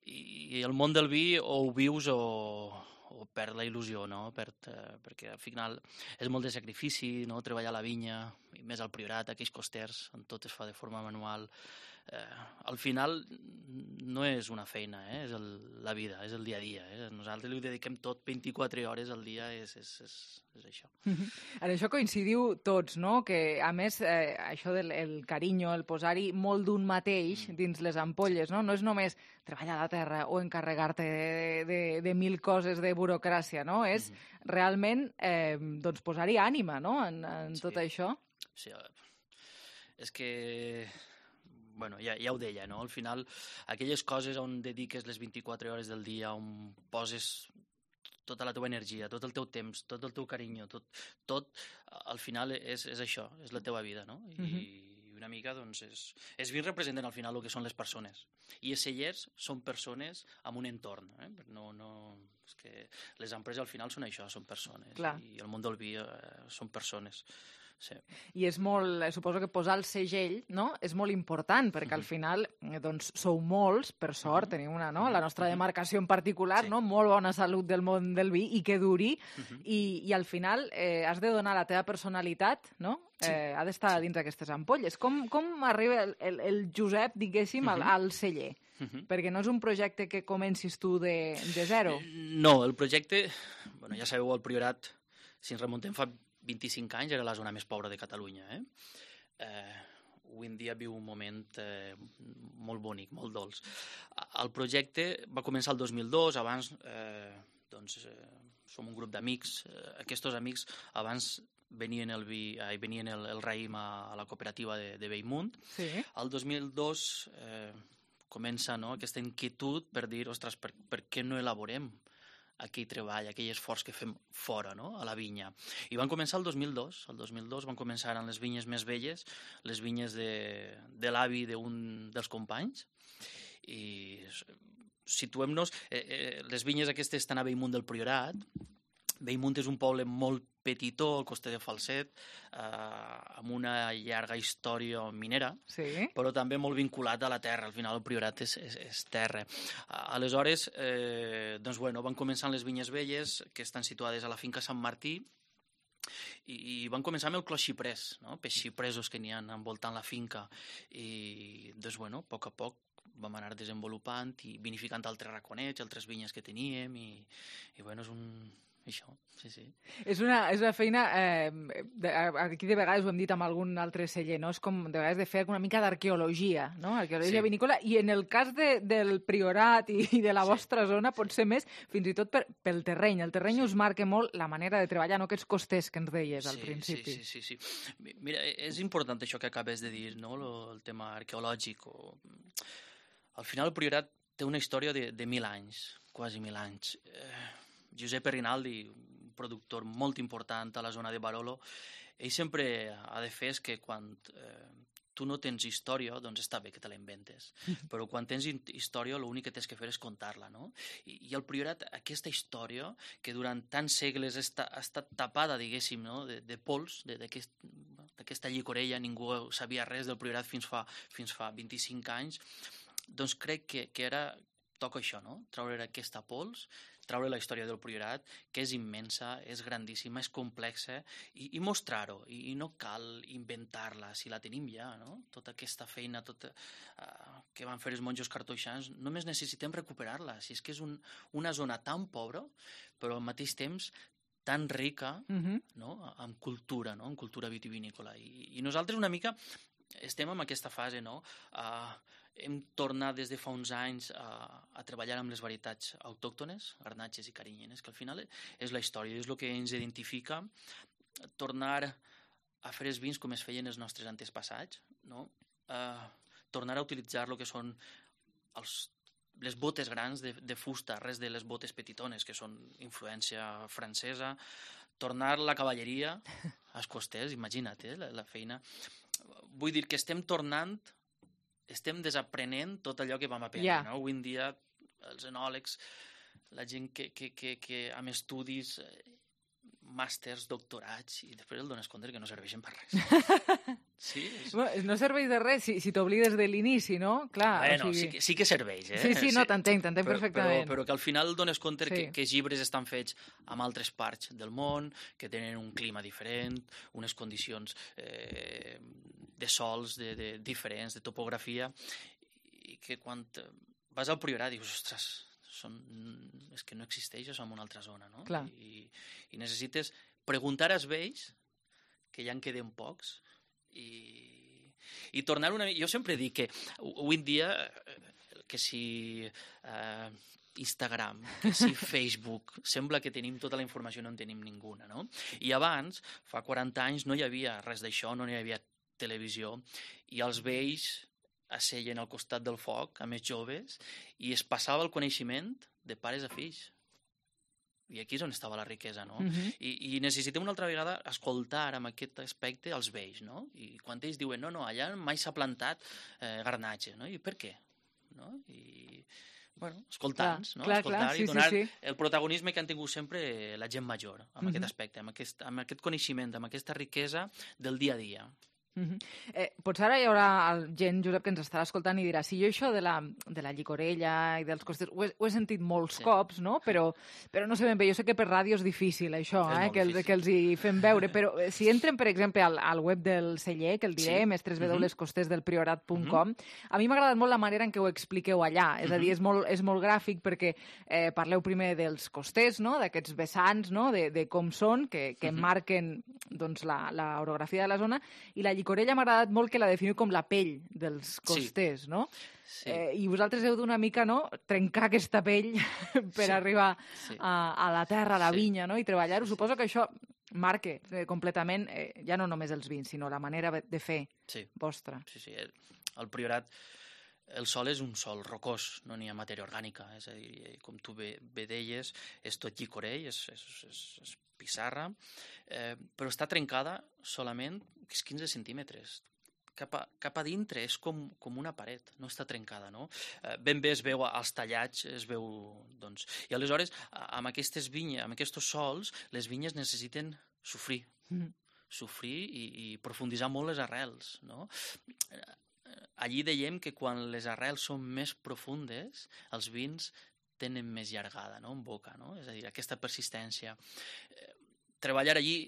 i el món del vi o ho vius o... o perd la il·lusió, no? Perd, eh, perquè al final és molt de sacrifici, no? Treballar a la vinya, i més al Priorat, aquells costers, on tot es fa de forma manual. Eh, al final no és una feina, eh? És el, la vida, és el dia a dia. Eh? Nosaltres li dediquem tot vint-i-quatre hores al dia, és, és, és, és això. En això coincidiu tots, no? Que, a més, eh, això del el carinyo, el posar-hi molt d'un mateix dins les ampolles, no? No és només treballar a la terra o encarregar-te de, de, de mil coses de burocràcia, no? És mm-hmm. realment eh, doncs posar-hi ànima, no?, en, en sí. tot això. Sí, és que... Bueno, ja, ja ho deia, no? Al final, aquelles coses on dediques les vint-i-quatre hores del dia, on poses tota la teva energia, tot el teu temps, tot el teu carinyo, tot, tot al final és, és això, és la teva vida, no? I, mm-hmm. una mica, doncs, és... Els vins representen al final el que són les persones. I els cellers són persones amb un entorn, eh? No, no... És que les empreses al final són això, són persones. Clar. I el món del vi eh, són persones. Sí. I és molt, suposo que posar el segell, no?, és molt important, perquè al final, doncs, sou molts, per sort, tenim una, no?, la nostra demarcació en particular, sí. no?, molt bona salut del món del vi i que duri, uh-huh. i, i al final eh, has de donar la teva personalitat, no?, sí. eh, ha d'estar sí. dins d'aquestes ampolles. Com, com arriba el, el, el Josep, diguéssim, uh-huh. al, al celler? Uh-huh. Perquè no és un projecte que comencis tu de, de zero. No, el projecte, bueno, ja sabeu, el Priorat, si ens remuntem fa vint-i-cinc anys, era la zona més pobra de Catalunya. Eh? Eh, avui en dia viu un moment eh, molt bonic, molt dolç. El projecte va començar el dos mil dos, abans eh, doncs, eh, som un grup d'amics. Eh, aquests amics abans venien el, vi, eh, venien el, el raïm a, a la cooperativa de, de Bellmunt. Sí. El dos mil dos eh, comença, no?, aquesta inquietud per dir, ostres, per, per què no elaborem aquell treball, aquell esforç que fem fora, no?, a la vinya. I van començar el dos mil dos. El dos mil dos van començar amb les vinyes més velles, les vinyes de, de l'avi d'un dels companys. I situem-nos... Eh, eh, les vinyes aquestes estan a Bellmunt del Priorat. Bellmunt és un poble molt petitó, al coster de Falset, eh, amb una llarga història minera, sí. però també molt vinculat a la terra. Al final el Priorat és, és, és terra. Aleshores, eh, doncs, bueno, van començar les vinyes velles, que estan situades a la finca Sant Martí, i, i van començar amb el clos xiprès, no?, peix xipresos que n'hi ha envoltant la finca. I, doncs, bueno, a poc a poc vam anar desenvolupant i vinificant altres raconets, altres vinyes que teníem, i, i bueno, és un... això, sí, sí. És una, és una feina, eh, de, aquí de vegades ho hem dit amb algun altre celler, no? És com de vegades de fer una mica d'arqueologia, no? Arqueologia sí. vinícola, i en el cas de, del Priorat i, i de la sí. vostra zona pot ser més, fins i tot per, pel terreny. El terreny sí. us marca molt la manera de treballar, no aquests costers que ens deies al sí, principi. Sí, sí, sí, sí. Mira, és important això que acabes de dir, no? El tema arqueològic. O... Al final el Priorat té una història de, de mil anys, quasi mil anys. Eh... Giuseppe Rinaldi, un productor molt important a la zona de Barolo, ell sempre ha de fer és que quan eh, tu no tens història, doncs està bé que te la inventes, però quan tens història l'únic que tens que fer és contar-la, no? I, i el Priorat, aquesta història, que durant tants segles està, ha estat tapada, diguéssim, no?, de, de pols, d'aquesta aquest, llicorella, ningú sabia res del Priorat fins fa, fins fa vint-i-cinc anys, doncs crec que, que era, toca això, no?, treure aquesta pols, treure la història del Priorat, que és immensa, és grandíssima, és complexa, i, i mostrar-ho, i, i no cal inventar-la, si la tenim ja, no? Tota aquesta feina tota, uh, que van fer els monjos cartoixans, només necessitem recuperar-la, si és que és un, una zona tan pobra, però al mateix temps tan rica, uh-huh. no?, amb cultura, no?, amb cultura vitivinícola. I, i nosaltres una mica estem en aquesta fase, no?, uh, hem tornat des de fa uns anys a, a treballar amb les varietats autòctones, garnatxes i carinyenes, que al final és la història, és el que ens identifica, tornar a fer els vins com es feien els nostres antespassats, no? Uh, tornar a utilitzar el que són els, les botes grans de, de fusta, res de les botes petitones, que són influència francesa, tornar la cavalleria als costers, imagina't, eh, la, la feina. Vull dir que estem tornant, estem desaprenent tot allò que vam aprendre, yeah. no? Avui en dia, els enòlegs, la gent que, que, que, que amb estudis, màsters, doctorats, i després el dones compte que no serveixen per res. Sí, és... No serveix de res si, si t'oblides de l'inici, no? Clar, bueno, o sigui... sí, que, sí que serveix, eh? Sí, sí, no, t'entenc, t'entenc però, perfectament. Però, però que al final dones compte sí. que, que els llibres estan fets amb altres parts del món, que tenen un clima diferent, unes condicions eh, de sols de, de, diferents, de topografia, i que quan vas al Priorat dius, ostres, són... és que no existeix això en una altra zona, no? Clar. I, i necessites preguntar als vells, que ja en queden pocs, i, i tornar una... Jo sempre dic que avui en dia, que si eh, Instagram, que si Facebook, sembla que tenim tota la informació, no en tenim ninguna, no? I abans, fa quaranta anys, no hi havia res d'això, no hi havia televisió, i els vells asseien al costat del foc, amb els joves, i es passava el coneixement de pares a fills. I aquí és on estava la riquesa, no? Uh-huh. I, I necessitem una altra vegada escoltar amb aquest aspecte els vells, no? I quan ells diuen, no, no, allà mai s'ha plantat eh, garnatge, no? I per què? No? I, bueno, escoltar-nos, no? Clar, escoltar clar, sí, i donar sí, sí. el protagonisme que han tingut sempre la gent major, amb Uh-huh. aquest aspecte, amb aquest, amb aquest coneixement, amb aquesta riquesa del dia a dia. Uh-huh. eh, potser ara hi haurà gent, Josep, que ens estarà escoltant i dirà, si jo això de la, de la llicorella i dels costers ho he, ho he sentit molts sí. cops, no? Però, però no sé ben bé, jo sé que per ràdio és difícil això, eh? que, el, que els hi fem veure, però si entren, per exemple, al, al web del celler, que el direm, sí. és w w w punt costers del priorat punt com, uh-huh. a mi m'ha agradat molt la manera en què ho expliqueu allà, és uh-huh. a dir, és molt, és molt gràfic perquè eh, parleu primer dels costers, no? D'aquests vessants, no? de, de com són, que, que uh-huh. marquen doncs, la, la orografia de la zona, i la llicorella m'ha agradat molt que la definiu com la pell dels costers, sí. no? Sí. Eh, I vosaltres heu d'una mica, no?, trencar aquesta pell per sí. arribar sí. A, a la terra, a la sí. vinya, no?, i treballar-ho. Sí. Suposo que això marca eh, completament, eh, ja no només els vins, sinó la manera de fer sí. vostra. Sí, sí. El, el Priorat, el sòl és un sòl rocós, no n'hi ha matèria orgànica, és a dir, com tu bé, bé deies, és tot llicorell, és, és, és, és pissarra, eh, però està trencada solament quinze centímetres. Cap a, cap a dintre és com, com una paret, no està trencada, no? Eh, ben bé es veu als tallats, es veu, doncs... I aleshores, amb aquestes vinyes, amb aquests sòls, les vinyes necessiten sofrir, mm. sofrir i, i profunditzar molt les arrels, no? Allí dèiem que quan les arrels són més profundes, els vins tenen més llargada, no?, en boca, no? És a dir, aquesta persistència. Eh, treballar allí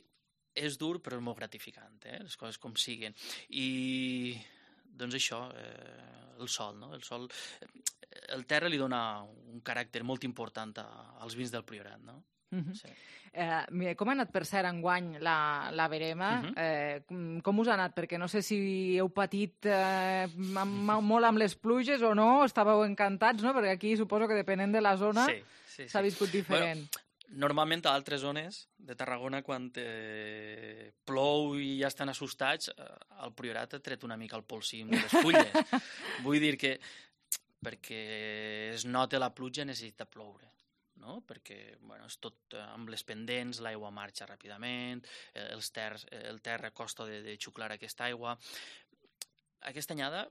és dur, però és molt gratificant, eh? Les coses com siguen. I, doncs això, eh, el sol, no? El sol, el terra li dona un caràcter molt important a, als vins del Priorat, no? Uh-huh. Sí. Eh, com ha anat, per cert, enguany la, la verema? Uh-huh. eh, com, com us ha anat? Perquè no sé si heu patit eh, amb, molt amb les pluges o no, estàveu encantats, no? Perquè aquí suposo que depenent de la zona s'ha sí, sí, sí. viscut diferent. Bueno, normalment a altres zones de Tarragona, quan eh, plou i ja estan assustats, el Priorat ha tret una mica el polsim de les fulles. Vull dir que perquè es nota la pluja necessita ploure, no? Perquè bueno, és tot amb les pendents, l'aigua marxa ràpidament, els terres, el terra costa de, de xuclar aquesta aigua. Aquesta anyada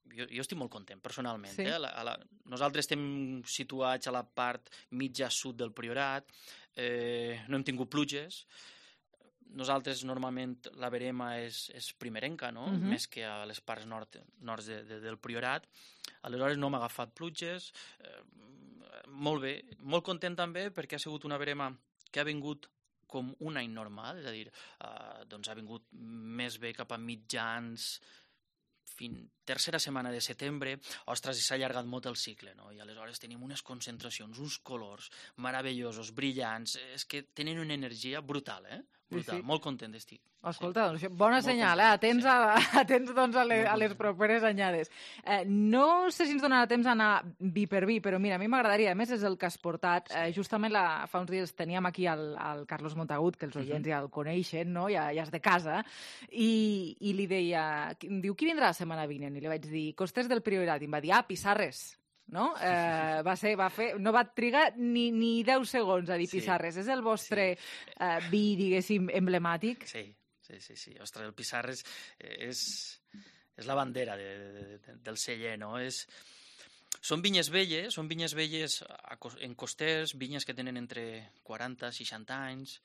Jo, jo estic molt content, personalment. Sí. Eh? A la, a la, nosaltres estem situats a la part mitja sud del Priorat, eh, no hem tingut pluges, nosaltres normalment la verema és, és primerenca, no? Uh-huh. Més que a les parts nord, nord de, de, del Priorat, aleshores no hem agafat pluges, eh, molt bé, molt content també perquè ha sigut una verema que ha vingut com un any normal, és a dir, eh, doncs ha vingut més bé cap a mitjans, fins tercera setmana de setembre, ostres, s'ha allargat molt el cicle, no? I aleshores tenim unes concentracions, uns colors meravellosos, brillants, és que tenen una energia brutal, eh? Brutal, sí, sí. Molt content estic. Escolta, doncs, bona senyal, eh? Atents, sí. a, atents doncs, a, les, a les properes anyades. Eh, no sé si ens donarà temps a anar vi per vi, però mira, a mi m'agradaria, a més és el que has portat, sí. eh, justament la, fa uns dies teníem aquí el, el Carlos Montagut, que els oients uh-huh. ja el coneixen, no? ja, ja és de casa, i, i li deia, diu, qui vindrà la setmana vinent? I li vaig dir, Costers del Priorat, i em va dir, ah, Pissarres. no? Eh, va ser, va fer, no va trigar ni, ni deu segons a dir Sí. Pissarres. És el vostre eh, vi, diguéssim, emblemàtic? Sí, sí, sí, sí. Ostres, el Pissarres és, és la bandera de, de, de, del celler, no? És... Són vinyes velles, són vinyes velles en costers, vinyes que tenen entre quaranta i seixanta anys,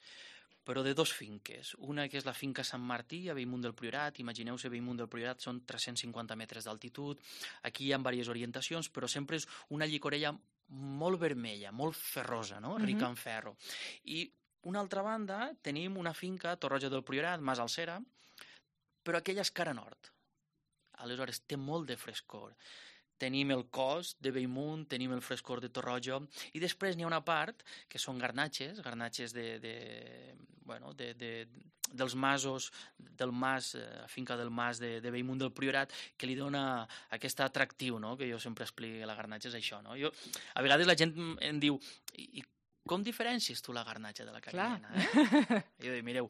però de dos finques. Una que és la finca Sant Martí, a Bellmunt del Priorat. Imagineu-se, Bellmunt del Priorat són tres-cents cinquanta metres d'altitud. Aquí hi ha diverses orientacions, però sempre és una llicorella molt vermella, molt ferrosa, no? Rica en ferro. I una altra banda, tenim una finca, Torroja del Priorat, Mas Alcera, però aquella és cara nord. Aleshores, té molt de frescor. Tenim el cos de Bellmunt, tenim el frescor de Torroja, i després n'hi ha una part que són garnatxes, garnatxes de, de, bueno, de, de, dels masos, del mas, eh, finca del mas de, de Bellmunt del Priorat, que li dona aquest atractiu, no?, que jo sempre explico, la garnatxa és això, no? Jo, a vegades la gent em diu, i com diferencies tu la garnatxa de la carinyena? Eh? Jo dic, mireu,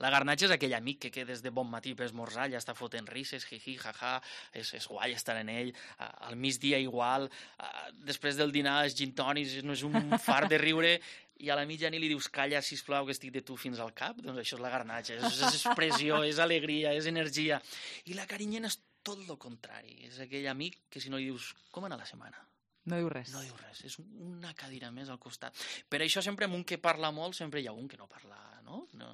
la garnatxa és aquell amic que, que des de bon matí per esmorzar ja està fotent risses, jiji, jaja, és, és guai estar en ell, al migdia igual, després del dinar els gin tònics, no és un fart de riure, i a la mitjanit li dius, calla, sisplau, que estic de tu fins al cap, doncs això és la garnatxa, és, és expressió, és alegria, és energia. I la carinyena és tot el contrari, és aquell amic que si no li dius, com anar la setmana? No diu res. No diu res, és una cadira més al costat. Per això sempre amb un que parla molt, sempre hi ha un que no parla, no? no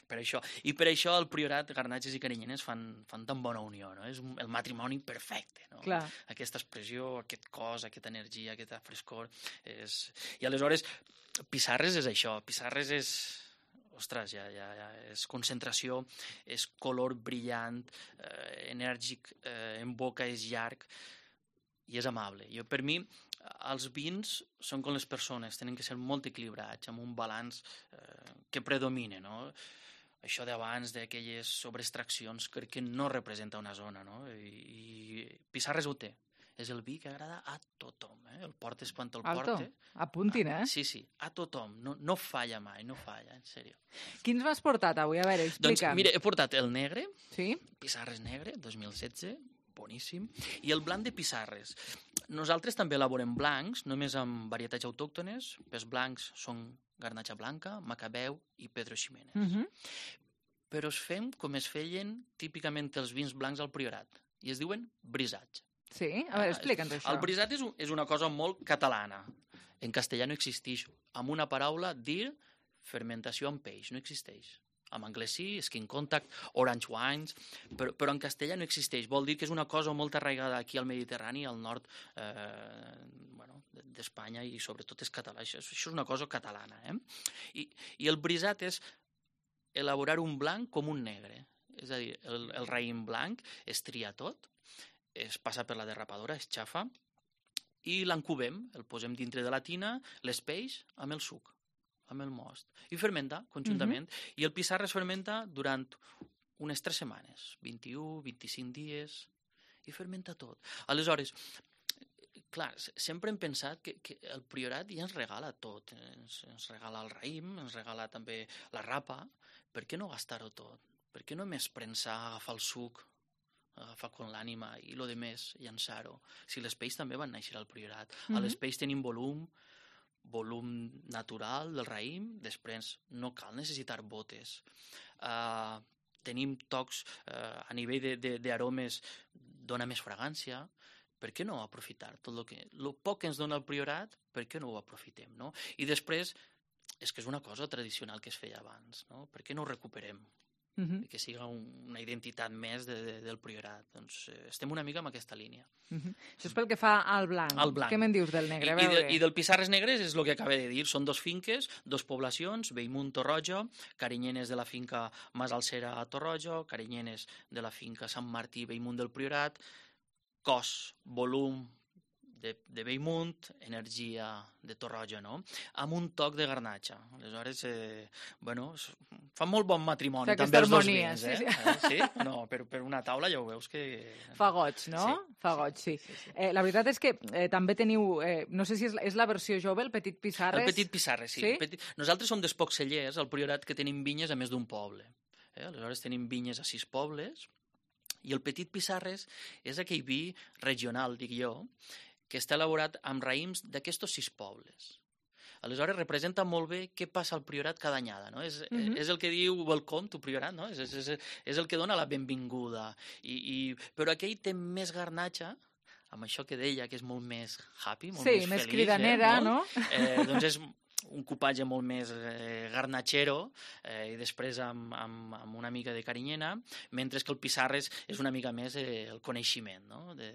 per això. I per això al Priorat, garnatxes i carinyenes fan, fan tan bona unió, no? És un, el matrimoni perfecte, no? Clar. Aquesta expressió, aquest cos, aquesta energia, aquesta frescor. És... I aleshores, Pissarres és això, Pissarres és... Ostres, ja, ja, ja, és concentració, és color brillant, eh, enèrgic, eh, en boca és llarg, i és amable. Jo, per mi, els vins són com les persones, tenen que ser molt equilibrats, amb un balanç eh, que predomine, no? Això d'abans, d'aquelles sobreextraccions, crec que no representa una zona, no? I, i Pissarres ho té. És el vi que agrada a tothom, eh? El portes quan te'l Alto, porte. apuntin, eh? Sí, sí, a tothom. No, no falla mai, no falla, en sèrio. Quins m'has portat avui? A veure, explica'm. Doncs, mira, he portat el negre, sí? Pissarres negre, dos mil setze, boníssim, i el blanc de Pissarres. Nosaltres també elaborem blancs, només amb varietats autòctones. Els blancs són garnatxa blanca, macabeu i Pedro Ximénez. Uh -huh. Però es fem com es feien típicament els vins blancs al Priorat, i es diuen brisats. Sí? A veure, explica'ns això. El brisat és, un, és una cosa molt catalana. En castellà no existeix. Amb una paraula, dir fermentació amb peix, no existeix. En anglès sí, skin contact, orange wines, però, però en castellà no existeix. Vol dir que és una cosa molt arraigada aquí al Mediterrani, al nord eh, bueno, d'Espanya, i sobretot és català. Això, això és una cosa catalana. Eh? I, I el brisat és elaborar un blanc com un negre. És a dir, el, el raïm blanc es tria tot, es passa per la derrapadora, es xafa, i l'encubem, el posem dintre de la tina, l'espeix amb el suc, amb el most, i fermenta conjuntament. Uh-huh. I el Pissarres es fermenta durant unes tres setmanes, vint-i-u, vint-i-cinc dies, i fermenta tot. Aleshores, clar, sempre hem pensat que, que el Priorat ja ens regala tot. Ens, ens regala el raïm, ens regala també la rapa. Per què no gastar-ho tot? Per què no més prensar, agafar el suc, agafar con l'ànima i lo de més, llançar-ho? Si les peix també van néixer al Priorat. Mm-hmm. A les peix tenim volum, volum natural del raïm, després no cal necessitar botes. Uh, tenim tocs uh, a nivell d'aromes, dona més fragància. Per què no aprofitar tot el que... El poc que ens dona el Priorat, per què no ho aprofitem, no? I després, és que és una cosa tradicional que es feia abans, no? Per què no ho recuperem? Uh-huh. Que siga un, una identitat més de, de, del Priorat. Doncs eh, estem una mica amb aquesta línia. Uh-huh. Això és pel que fa al blanc. Al blanc. Què me'n dius del negre? I, i, de, I del Pissarres negres és el que acaba de dir. Són dos finques, dos poblacions, Bellmunt, Torroja, carinyenes de la finca Mas Alcera a Torroja, carinyenes de la finca Sant Martí, Bellmunt del Priorat, cos, volum de, de Bellmunt, energia de Torroja, no? Amb un toc de garnatxa. Aleshores, eh, bueno, fa molt bon matrimoni també els dos vins, eh? Sí, sí. Eh? Sí? No, per, per una taula ja ho veus que... Fa goig, no? Sí, Fa goig, sí. sí, sí. Eh, la veritat és que eh, també teniu, eh, no sé si és, és la versió jove, el Petit Pissarres. El Petit Pissarres, sí. sí? Petit... Nosaltres som dels pocs cellers al Priorat que tenim vinyes a més d'un poble. Eh? Aleshores tenim vinyes a sis pobles, i el Petit Pissarres és aquell vi regional, dic jo, que està elaborat amb raïms d'aquestos sis pobles. Aleshores, representa molt bé què passa al Priorat cada anyada, no? És, Mhm. és el que diu welcome to Priorat, no? És, és, és, és el que dona la benvinguda. I, i, però aquell té més garnatxa, amb això que deia, que és molt més happy, molt Sí, més més feliç. cridanera, eh, no? Eh, doncs és un cupatge molt més eh, garnatxero eh, i després amb, amb, amb una mica de carinyena, mentre que el Pissarres és una mica més eh, el coneixement, no? de,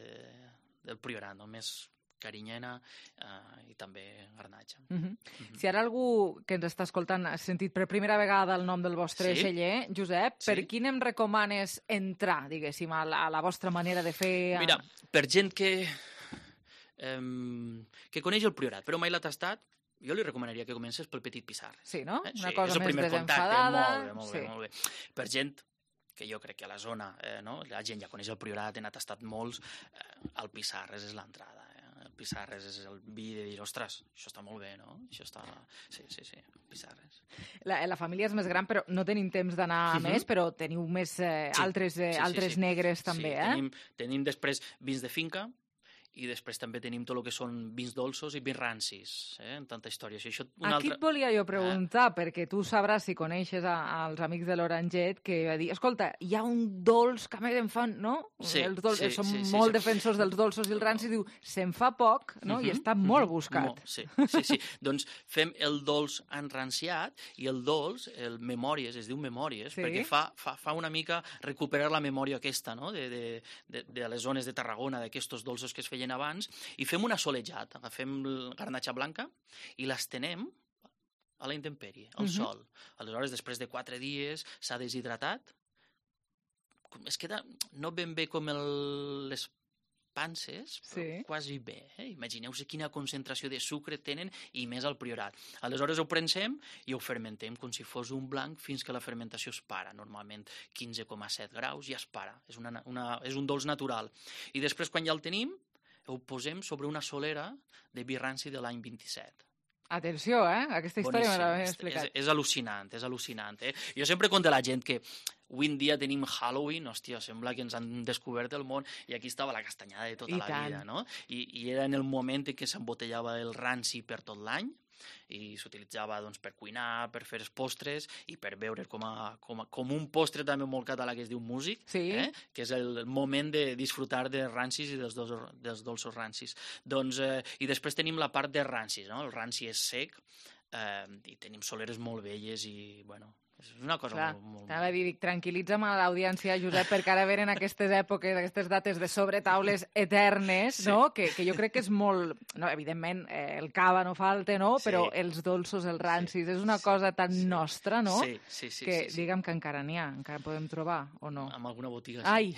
del Priorat, no? Més carinyena eh, i també garnatxa. Uh -huh. Mm-hmm. Si ara algú que ens està escoltant ha sentit per primera vegada el nom del vostre Sí. celler, Josep, Sí. per quin em recomanes entrar, diguéssim, a la, a la vostra manera de fer? A... Mira, per gent que, eh, que coneix el Priorat, però mai l'ha tastat, jo li recomanaria que comences pel Petit Pissarres. Sí, no? Eh? Una sí, cosa és el més primer contacte, desenfadada. molt bé, molt sí. bé, molt bé. Per gent que jo crec que a la zona, eh, no? La gent ja coneix el Priorat, n'ha tastat molts, eh, el Pissarres és l'entrada. Eh? El Pissarres és el vi de dir, ostres, això està molt bé, no? Això està... Sí, sí, sí, Pissarres. La, la família és més gran, però no tenim temps d'anar a Mhm. més, però teniu més eh, Sí, altres, eh, sí, sí, altres sí. negres també, sí, eh? Tenim, tenim després vins de finca, i després també tenim tot el que són vins dolços i vins rancis, eh? En tanta història. Si això, una Aquí altra... et volia jo preguntar, perquè tu sabràs, si coneixes a, als amics de l'Oranget, que va dir, escolta, hi ha un dolç que a mi em fan, no? Sí, els dolç, sí, som sí, sí, molt sí. defensors dels dolços i el ranci, diu, se'n fa poc, no? I Mhm, està molt mhm, buscat. molt, sí, sí, sí. Doncs fem el dolç enranciat i el dolç, el memòries, es diu memòries, Sí. perquè fa, fa, fa una mica recuperar la memòria aquesta, no? de, de, de, de les zones de Tarragona, d'aquests dolços que es feien abans, i fem un assolejat, agafem la garnatxa blanca i l'estenem a la intempèrie, al Mhm. sol. Aleshores, després de quatre dies, s'ha deshidratat, es queda no ben bé com el, les panses, però Sí. quasi bé. Eh? Imagineu-vos quina concentració de sucre tenen i més al Priorat. Aleshores ho prensem i ho fermentem com si fos un blanc fins que la fermentació es para. Normalment quinze coma set graus i es para. És, una, una, és un dolç natural. I després, quan ja el tenim, ho posem sobre una solera de vi ranci de l'any vint-i-set. Atenció, eh? Aquesta història me l'havia És, explicat. és, és al·lucinant, és al·lucinant. Eh? Jo sempre conto a la gent que avui en dia tenim Halloween, hòstia, sembla que ens han descobert el món, i aquí estava la castanyada de tota I la tant. vida, no? I, I era en el moment en què s'embotellava el ranci per tot l'any, i s'utilitzava doncs, per cuinar, per fer els postres i per beure com, a, com, a, com un postre també molt català que es diu músic, Sí. eh? Que és el moment de disfrutar de rancis i dels, dos, dels dolços rancis. Doncs, eh, I després tenim la part de rancis, no? El ranci és sec, eh, i tenim soleres molt velles i, bueno, és una cosa Clar, molt... molt... t'anava a dir, dic, tranquil·litza'm a l'audiència, Josep, perquè ara venen aquestes èpoques, aquestes dates de sobretaules eternes, Sí. no? Que, que jo crec que és molt... No, evidentment, eh, el cava no falta, no? Sí. Però els dolços, els rancis, és una cosa tan nostra, no? Sí, sí, sí, que sí, sí. digue'm que encara n'hi ha, encara podem trobar, o no? Amb alguna botiga, sí. Ai!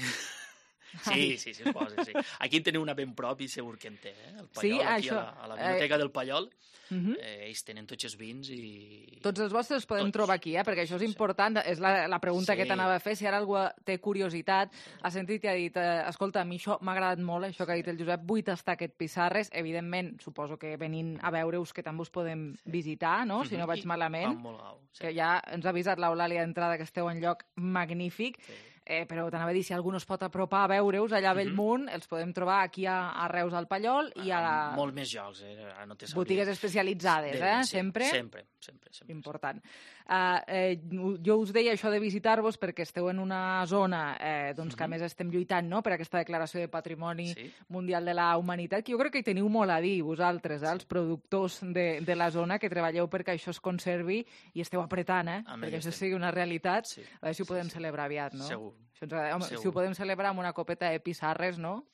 Sí, sí, sí, es posa, sí. Aquí en teniu una ben prop i segur que en té, eh? El Pallol, Sí, aquí això. a la, a la biblioteca Eh, del Pallol, Mhm. eh, ells tenen tots els vins i... Tots els vostres els podem Tots. trobar aquí, eh? Perquè això és important, és la, la pregunta Sí. que t'anava a fer. Si ara algú té curiositat, ha sentit i ha dit, eh, escolta, a mi això m'ha agradat molt, això que ha dit el Josep, vull tastar aquest Pissarres. Evidentment, suposo que venint a veure-us que també us podem visitar, no? Si no Mhm. vaig I malament. va molt gau, sí. Que ja ens ha avisat l'Eulàlia d'entrada que esteu en lloc magnífic. Sí. Eh, però t'anava a dir, si algú no es pot apropar a veure-us allà a Bellmunt, els podem trobar aquí a, a Reus al Pallol i a la... Molt més jocs, eh? Ara no te sabria. botigues especialitzades, De- eh? sí, Sempre. Sempre, sempre, sempre. Important. Uh, eh, jo us deia això de visitar-vos perquè esteu en una zona eh, doncs, que a més estem lluitant, no?, per aquesta declaració de Patrimoni Sí. Mundial de la Humanitat, que jo crec que hi teniu molt a dir, vosaltres, eh, els productors de, de la zona, que treballeu perquè això es conservi i esteu apretant, eh? Amb perquè ells això estem. sigui una realitat. Sí, A veure si ho podem celebrar aviat, no? Segur. Això ens agrada. Home, Segur. si ho podem celebrar amb una copeta de Pissarres, no?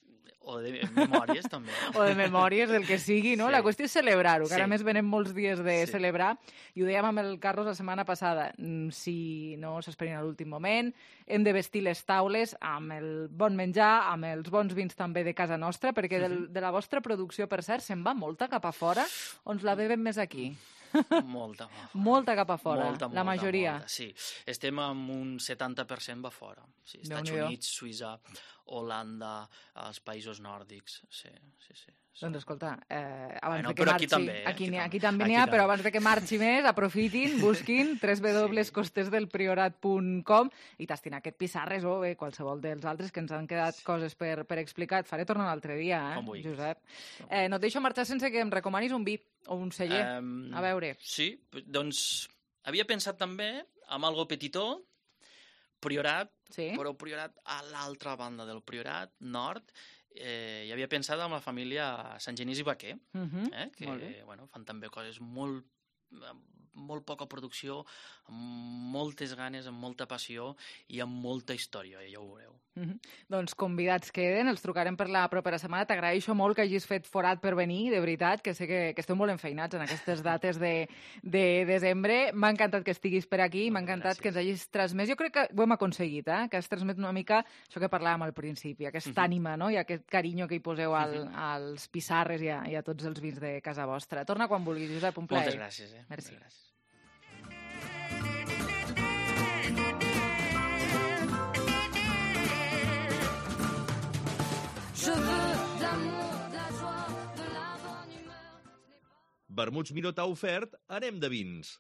O de memòries, també. O de memòries, del que sigui, no? Sí. La qüestió és celebrar-ho, que Sí. ara més venen molts dies de Sí. celebrar, i ho dèiem amb el Carlos la setmana passada, mm, si no s'esperin a l'últim moment, hem de vestir les taules amb el bon menjar, amb els bons vins també de casa nostra, perquè del, de la vostra producció, per cert, se'n va molta cap a fora, o ens la bevem més aquí? Molta, Molta cap a fora, molta, la molta, majoria. Molta, sí, estem amb un setanta per cent va fora. Sí, Estats Déu-n'hi-do. Units, Suïssa, Holanda, els països nòrdics, sí, sí, sí. Doncs escolta, eh, abans bueno, de que però marxi... Aquí també, eh? Aquí, aquí, aquí també n'hi ha, però abans de que marxi més, aprofitin, busquin w w w punt costes del priorat punt com i tastin aquest Pissarres o bé, qualsevol dels altres que ens han quedat coses per, per explicar. Et faré tornar un altre dia, eh, Josep. Eh, no et deixo marxar sense que em recomanis un vi o un celler. Um, a veure. Sí, doncs havia pensat també amb algo petitó, Priorat, sí? Però Priorat a l'altra banda del Priorat, nord, eh, hi havia pensat amb la família Sant Genís i Vaquer, uh-huh. eh, que bueno, fan també coses molt, molt poca producció, amb moltes ganes, amb molta passió i amb molta història, ja ho veureu. Uh-huh. Doncs convidats queden, els trucarem per la propera setmana. T'agraeixo molt que hagis fet forat per venir, de veritat, que sé que, que esteu molt enfeinats en aquestes dates de, de desembre. M'ha encantat que estiguis per aquí, m'ha encantat gràcies. Que ens hagis transmès. Jo crec que ho hem aconseguit, eh? Que has transmet una mica això que parlàvem al principi, aquesta uh-huh. ànima, no? I aquest carinyo que hi poseu al, uh-huh. als Pissarres i a, i a tots els vins de casa vostra. Torna quan vulguis, Josep, un plaer. Moltes gràcies. Eh? Merci. Moltes gràcies. Vermuts Miró t'ha ofert Anem de vins.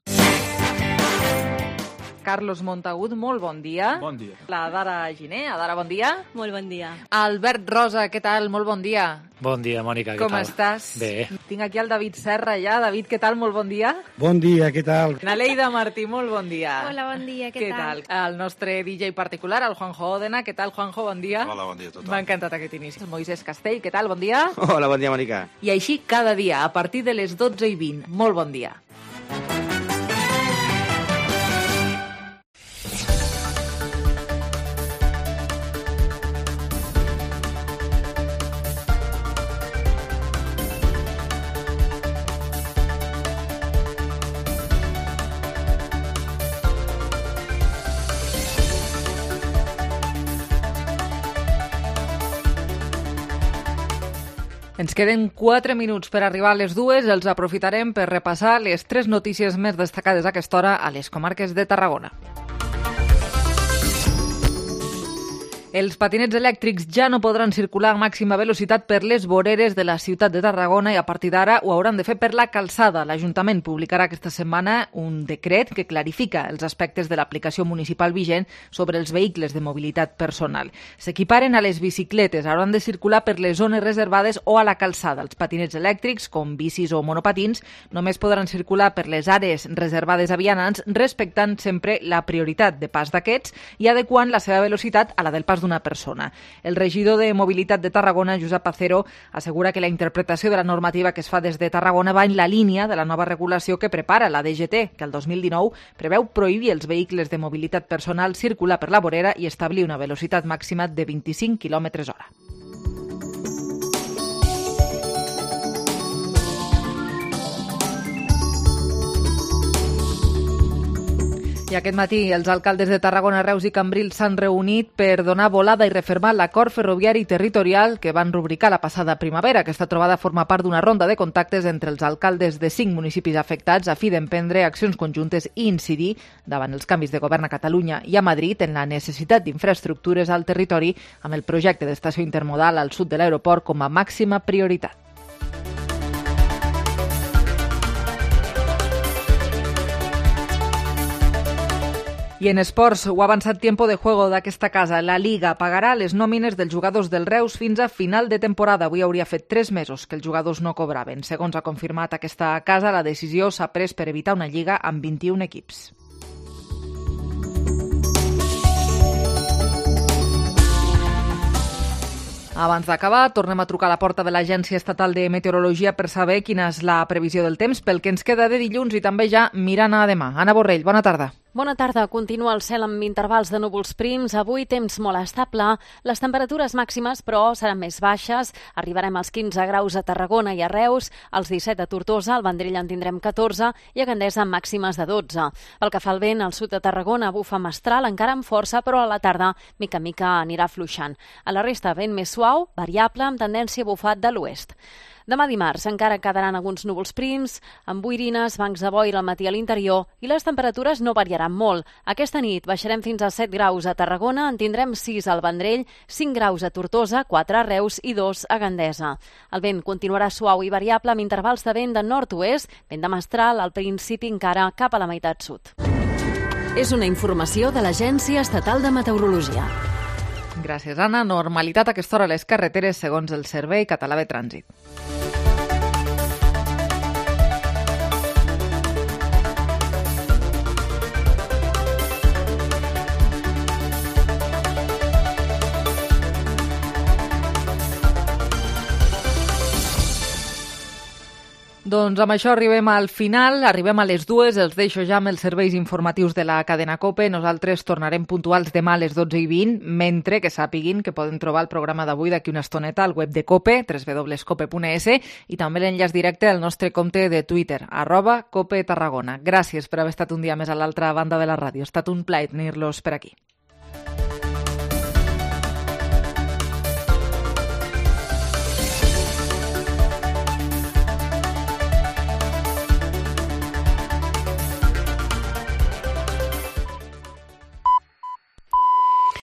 Carlos Montagut, molt bon dia. Bon dia. La Dara Giner, Adara, bon dia. Molt bon dia. Albert Rosa, què tal? Molt bon dia. Bon dia, Mònica, què Com tal? Com estàs? Bé. Tinc aquí el David Serra ja. David, què tal? Molt bon dia. Bon dia, què tal? Naleida Martí, molt bon dia. Hola, bon dia, què, què tal? Què tal? El nostre D J particular, el Juanjo Odena. Què tal, Juanjo? Bon dia. Hola, bon dia a tothom. M'ha encantat aquest inici. El Moisés Castell, què tal? Bon dia. Hola, bon dia, Mònica. I així cada dia, a partir de les dotze i vint. Molt bon dia. Ens queden quatre minuts per arribar a les dues. Els aprofitarem per repassar les tres notícies més destacades a aquesta hora a les comarques de Tarragona. Els patinets elèctrics ja no podran circular a màxima velocitat per les voreres de la ciutat de Tarragona i a partir d'ara ho hauran de fer per la calçada. L'Ajuntament publicarà aquesta setmana un decret que clarifica els aspectes de l'aplicació municipal vigent sobre els vehicles de mobilitat personal. S'equiparen a les bicicletes, hauran de circular per les zones reservades o a la calçada. Els patinets elèctrics, com bicis o monopatins, només podran circular per les àrees reservades a vianants, respectant sempre la prioritat de pas d'aquests i adequant la seva velocitat a la del pas d'una persona. El regidor de Mobilitat de Tarragona, Josep Acero, assegura que la interpretació de la normativa que es fa des de Tarragona va en la línia de la nova regulació que prepara la D G T, que el dos mil dinou preveu prohibir els vehicles de mobilitat personal circular per la vorera i establir una velocitat màxima de vint-i-cinc quilòmetres hora. I aquest matí els alcaldes de Tarragona, Reus i Cambrils s'han reunit per donar volada i refermar l'acord ferroviari territorial que van rubricar la passada primavera. Aquesta trobada forma part d'una ronda de contactes entre els alcaldes de cinc municipis afectats a fi d'emprendre accions conjuntes i incidir davant els canvis de govern a Catalunya i a Madrid en la necessitat d'infraestructures al territori amb el projecte d'estació intermodal al sud de l'aeroport com a màxima prioritat. I en esports, ho ha avançat Tiempo de Juego d'aquesta casa. La Liga pagarà les nòmines dels jugadors del Reus fins a final de temporada. Avui hauria fet tres mesos que els jugadors no cobraven. Segons ha confirmat aquesta casa, la decisió s'ha pres per evitar una lliga amb vint-i-un equips. Abans d'acabar, tornem a trucar a la porta de l'Agència Estatal de Meteorologia per saber quina és la previsió del temps pel que ens queda de dilluns i també ja mirant a demà. Anna Borrell, bona tarda. Bona tarda. Continua el cel amb intervals de núvols prims. Avui temps molt estable. Les temperatures màximes, però, seran més baixes. Arribarem als quinze graus a Tarragona i a Reus, als disset a Tortosa, al Vendrell en tindrem catorze i a Gandesa amb màximes de dotze. Pel que fa al vent, al sud de Tarragona bufa mestral, encara amb força, però a la tarda, mica mica, anirà fluixant. A la resta, vent més suau, variable, amb tendència a bufar de l'oest. Demà dimarts encara quedaran alguns núvols prims, amb boirines, bancs de boira al matí a l'interior i les temperatures no variaran molt. Aquesta nit baixarem fins a set graus a Tarragona, en tindrem sis al Vendrell, cinc graus a Tortosa, quatre a Reus i dos a Gandesa. El vent continuarà suau i variable amb intervals de vent de nord-oest, vent de mestral al principi encara cap a la meitat sud. És una informació de l'Agència Estatal de Meteorologia. Gràcies, Anna. Normalitat a aquesta hora a les carreteres segons el Servei Català de Trànsit. Doncs amb això arribem al final, arribem a les dues, els deixo ja amb els serveis informatius de la cadena COPE. Nosaltres tornarem puntuals demà a les dotze i vint, mentre que sàpiguin que poden trobar el programa d'avui d'aquí una estoneta al web de COPE, w w w punt cope punt es, i també l'enllaç directe al nostre compte de Twitter, arroba COPE Tarragona. Gràcies per haver estat un dia més a l'altra banda de la ràdio. Ha estat un plaer tenir-los per aquí.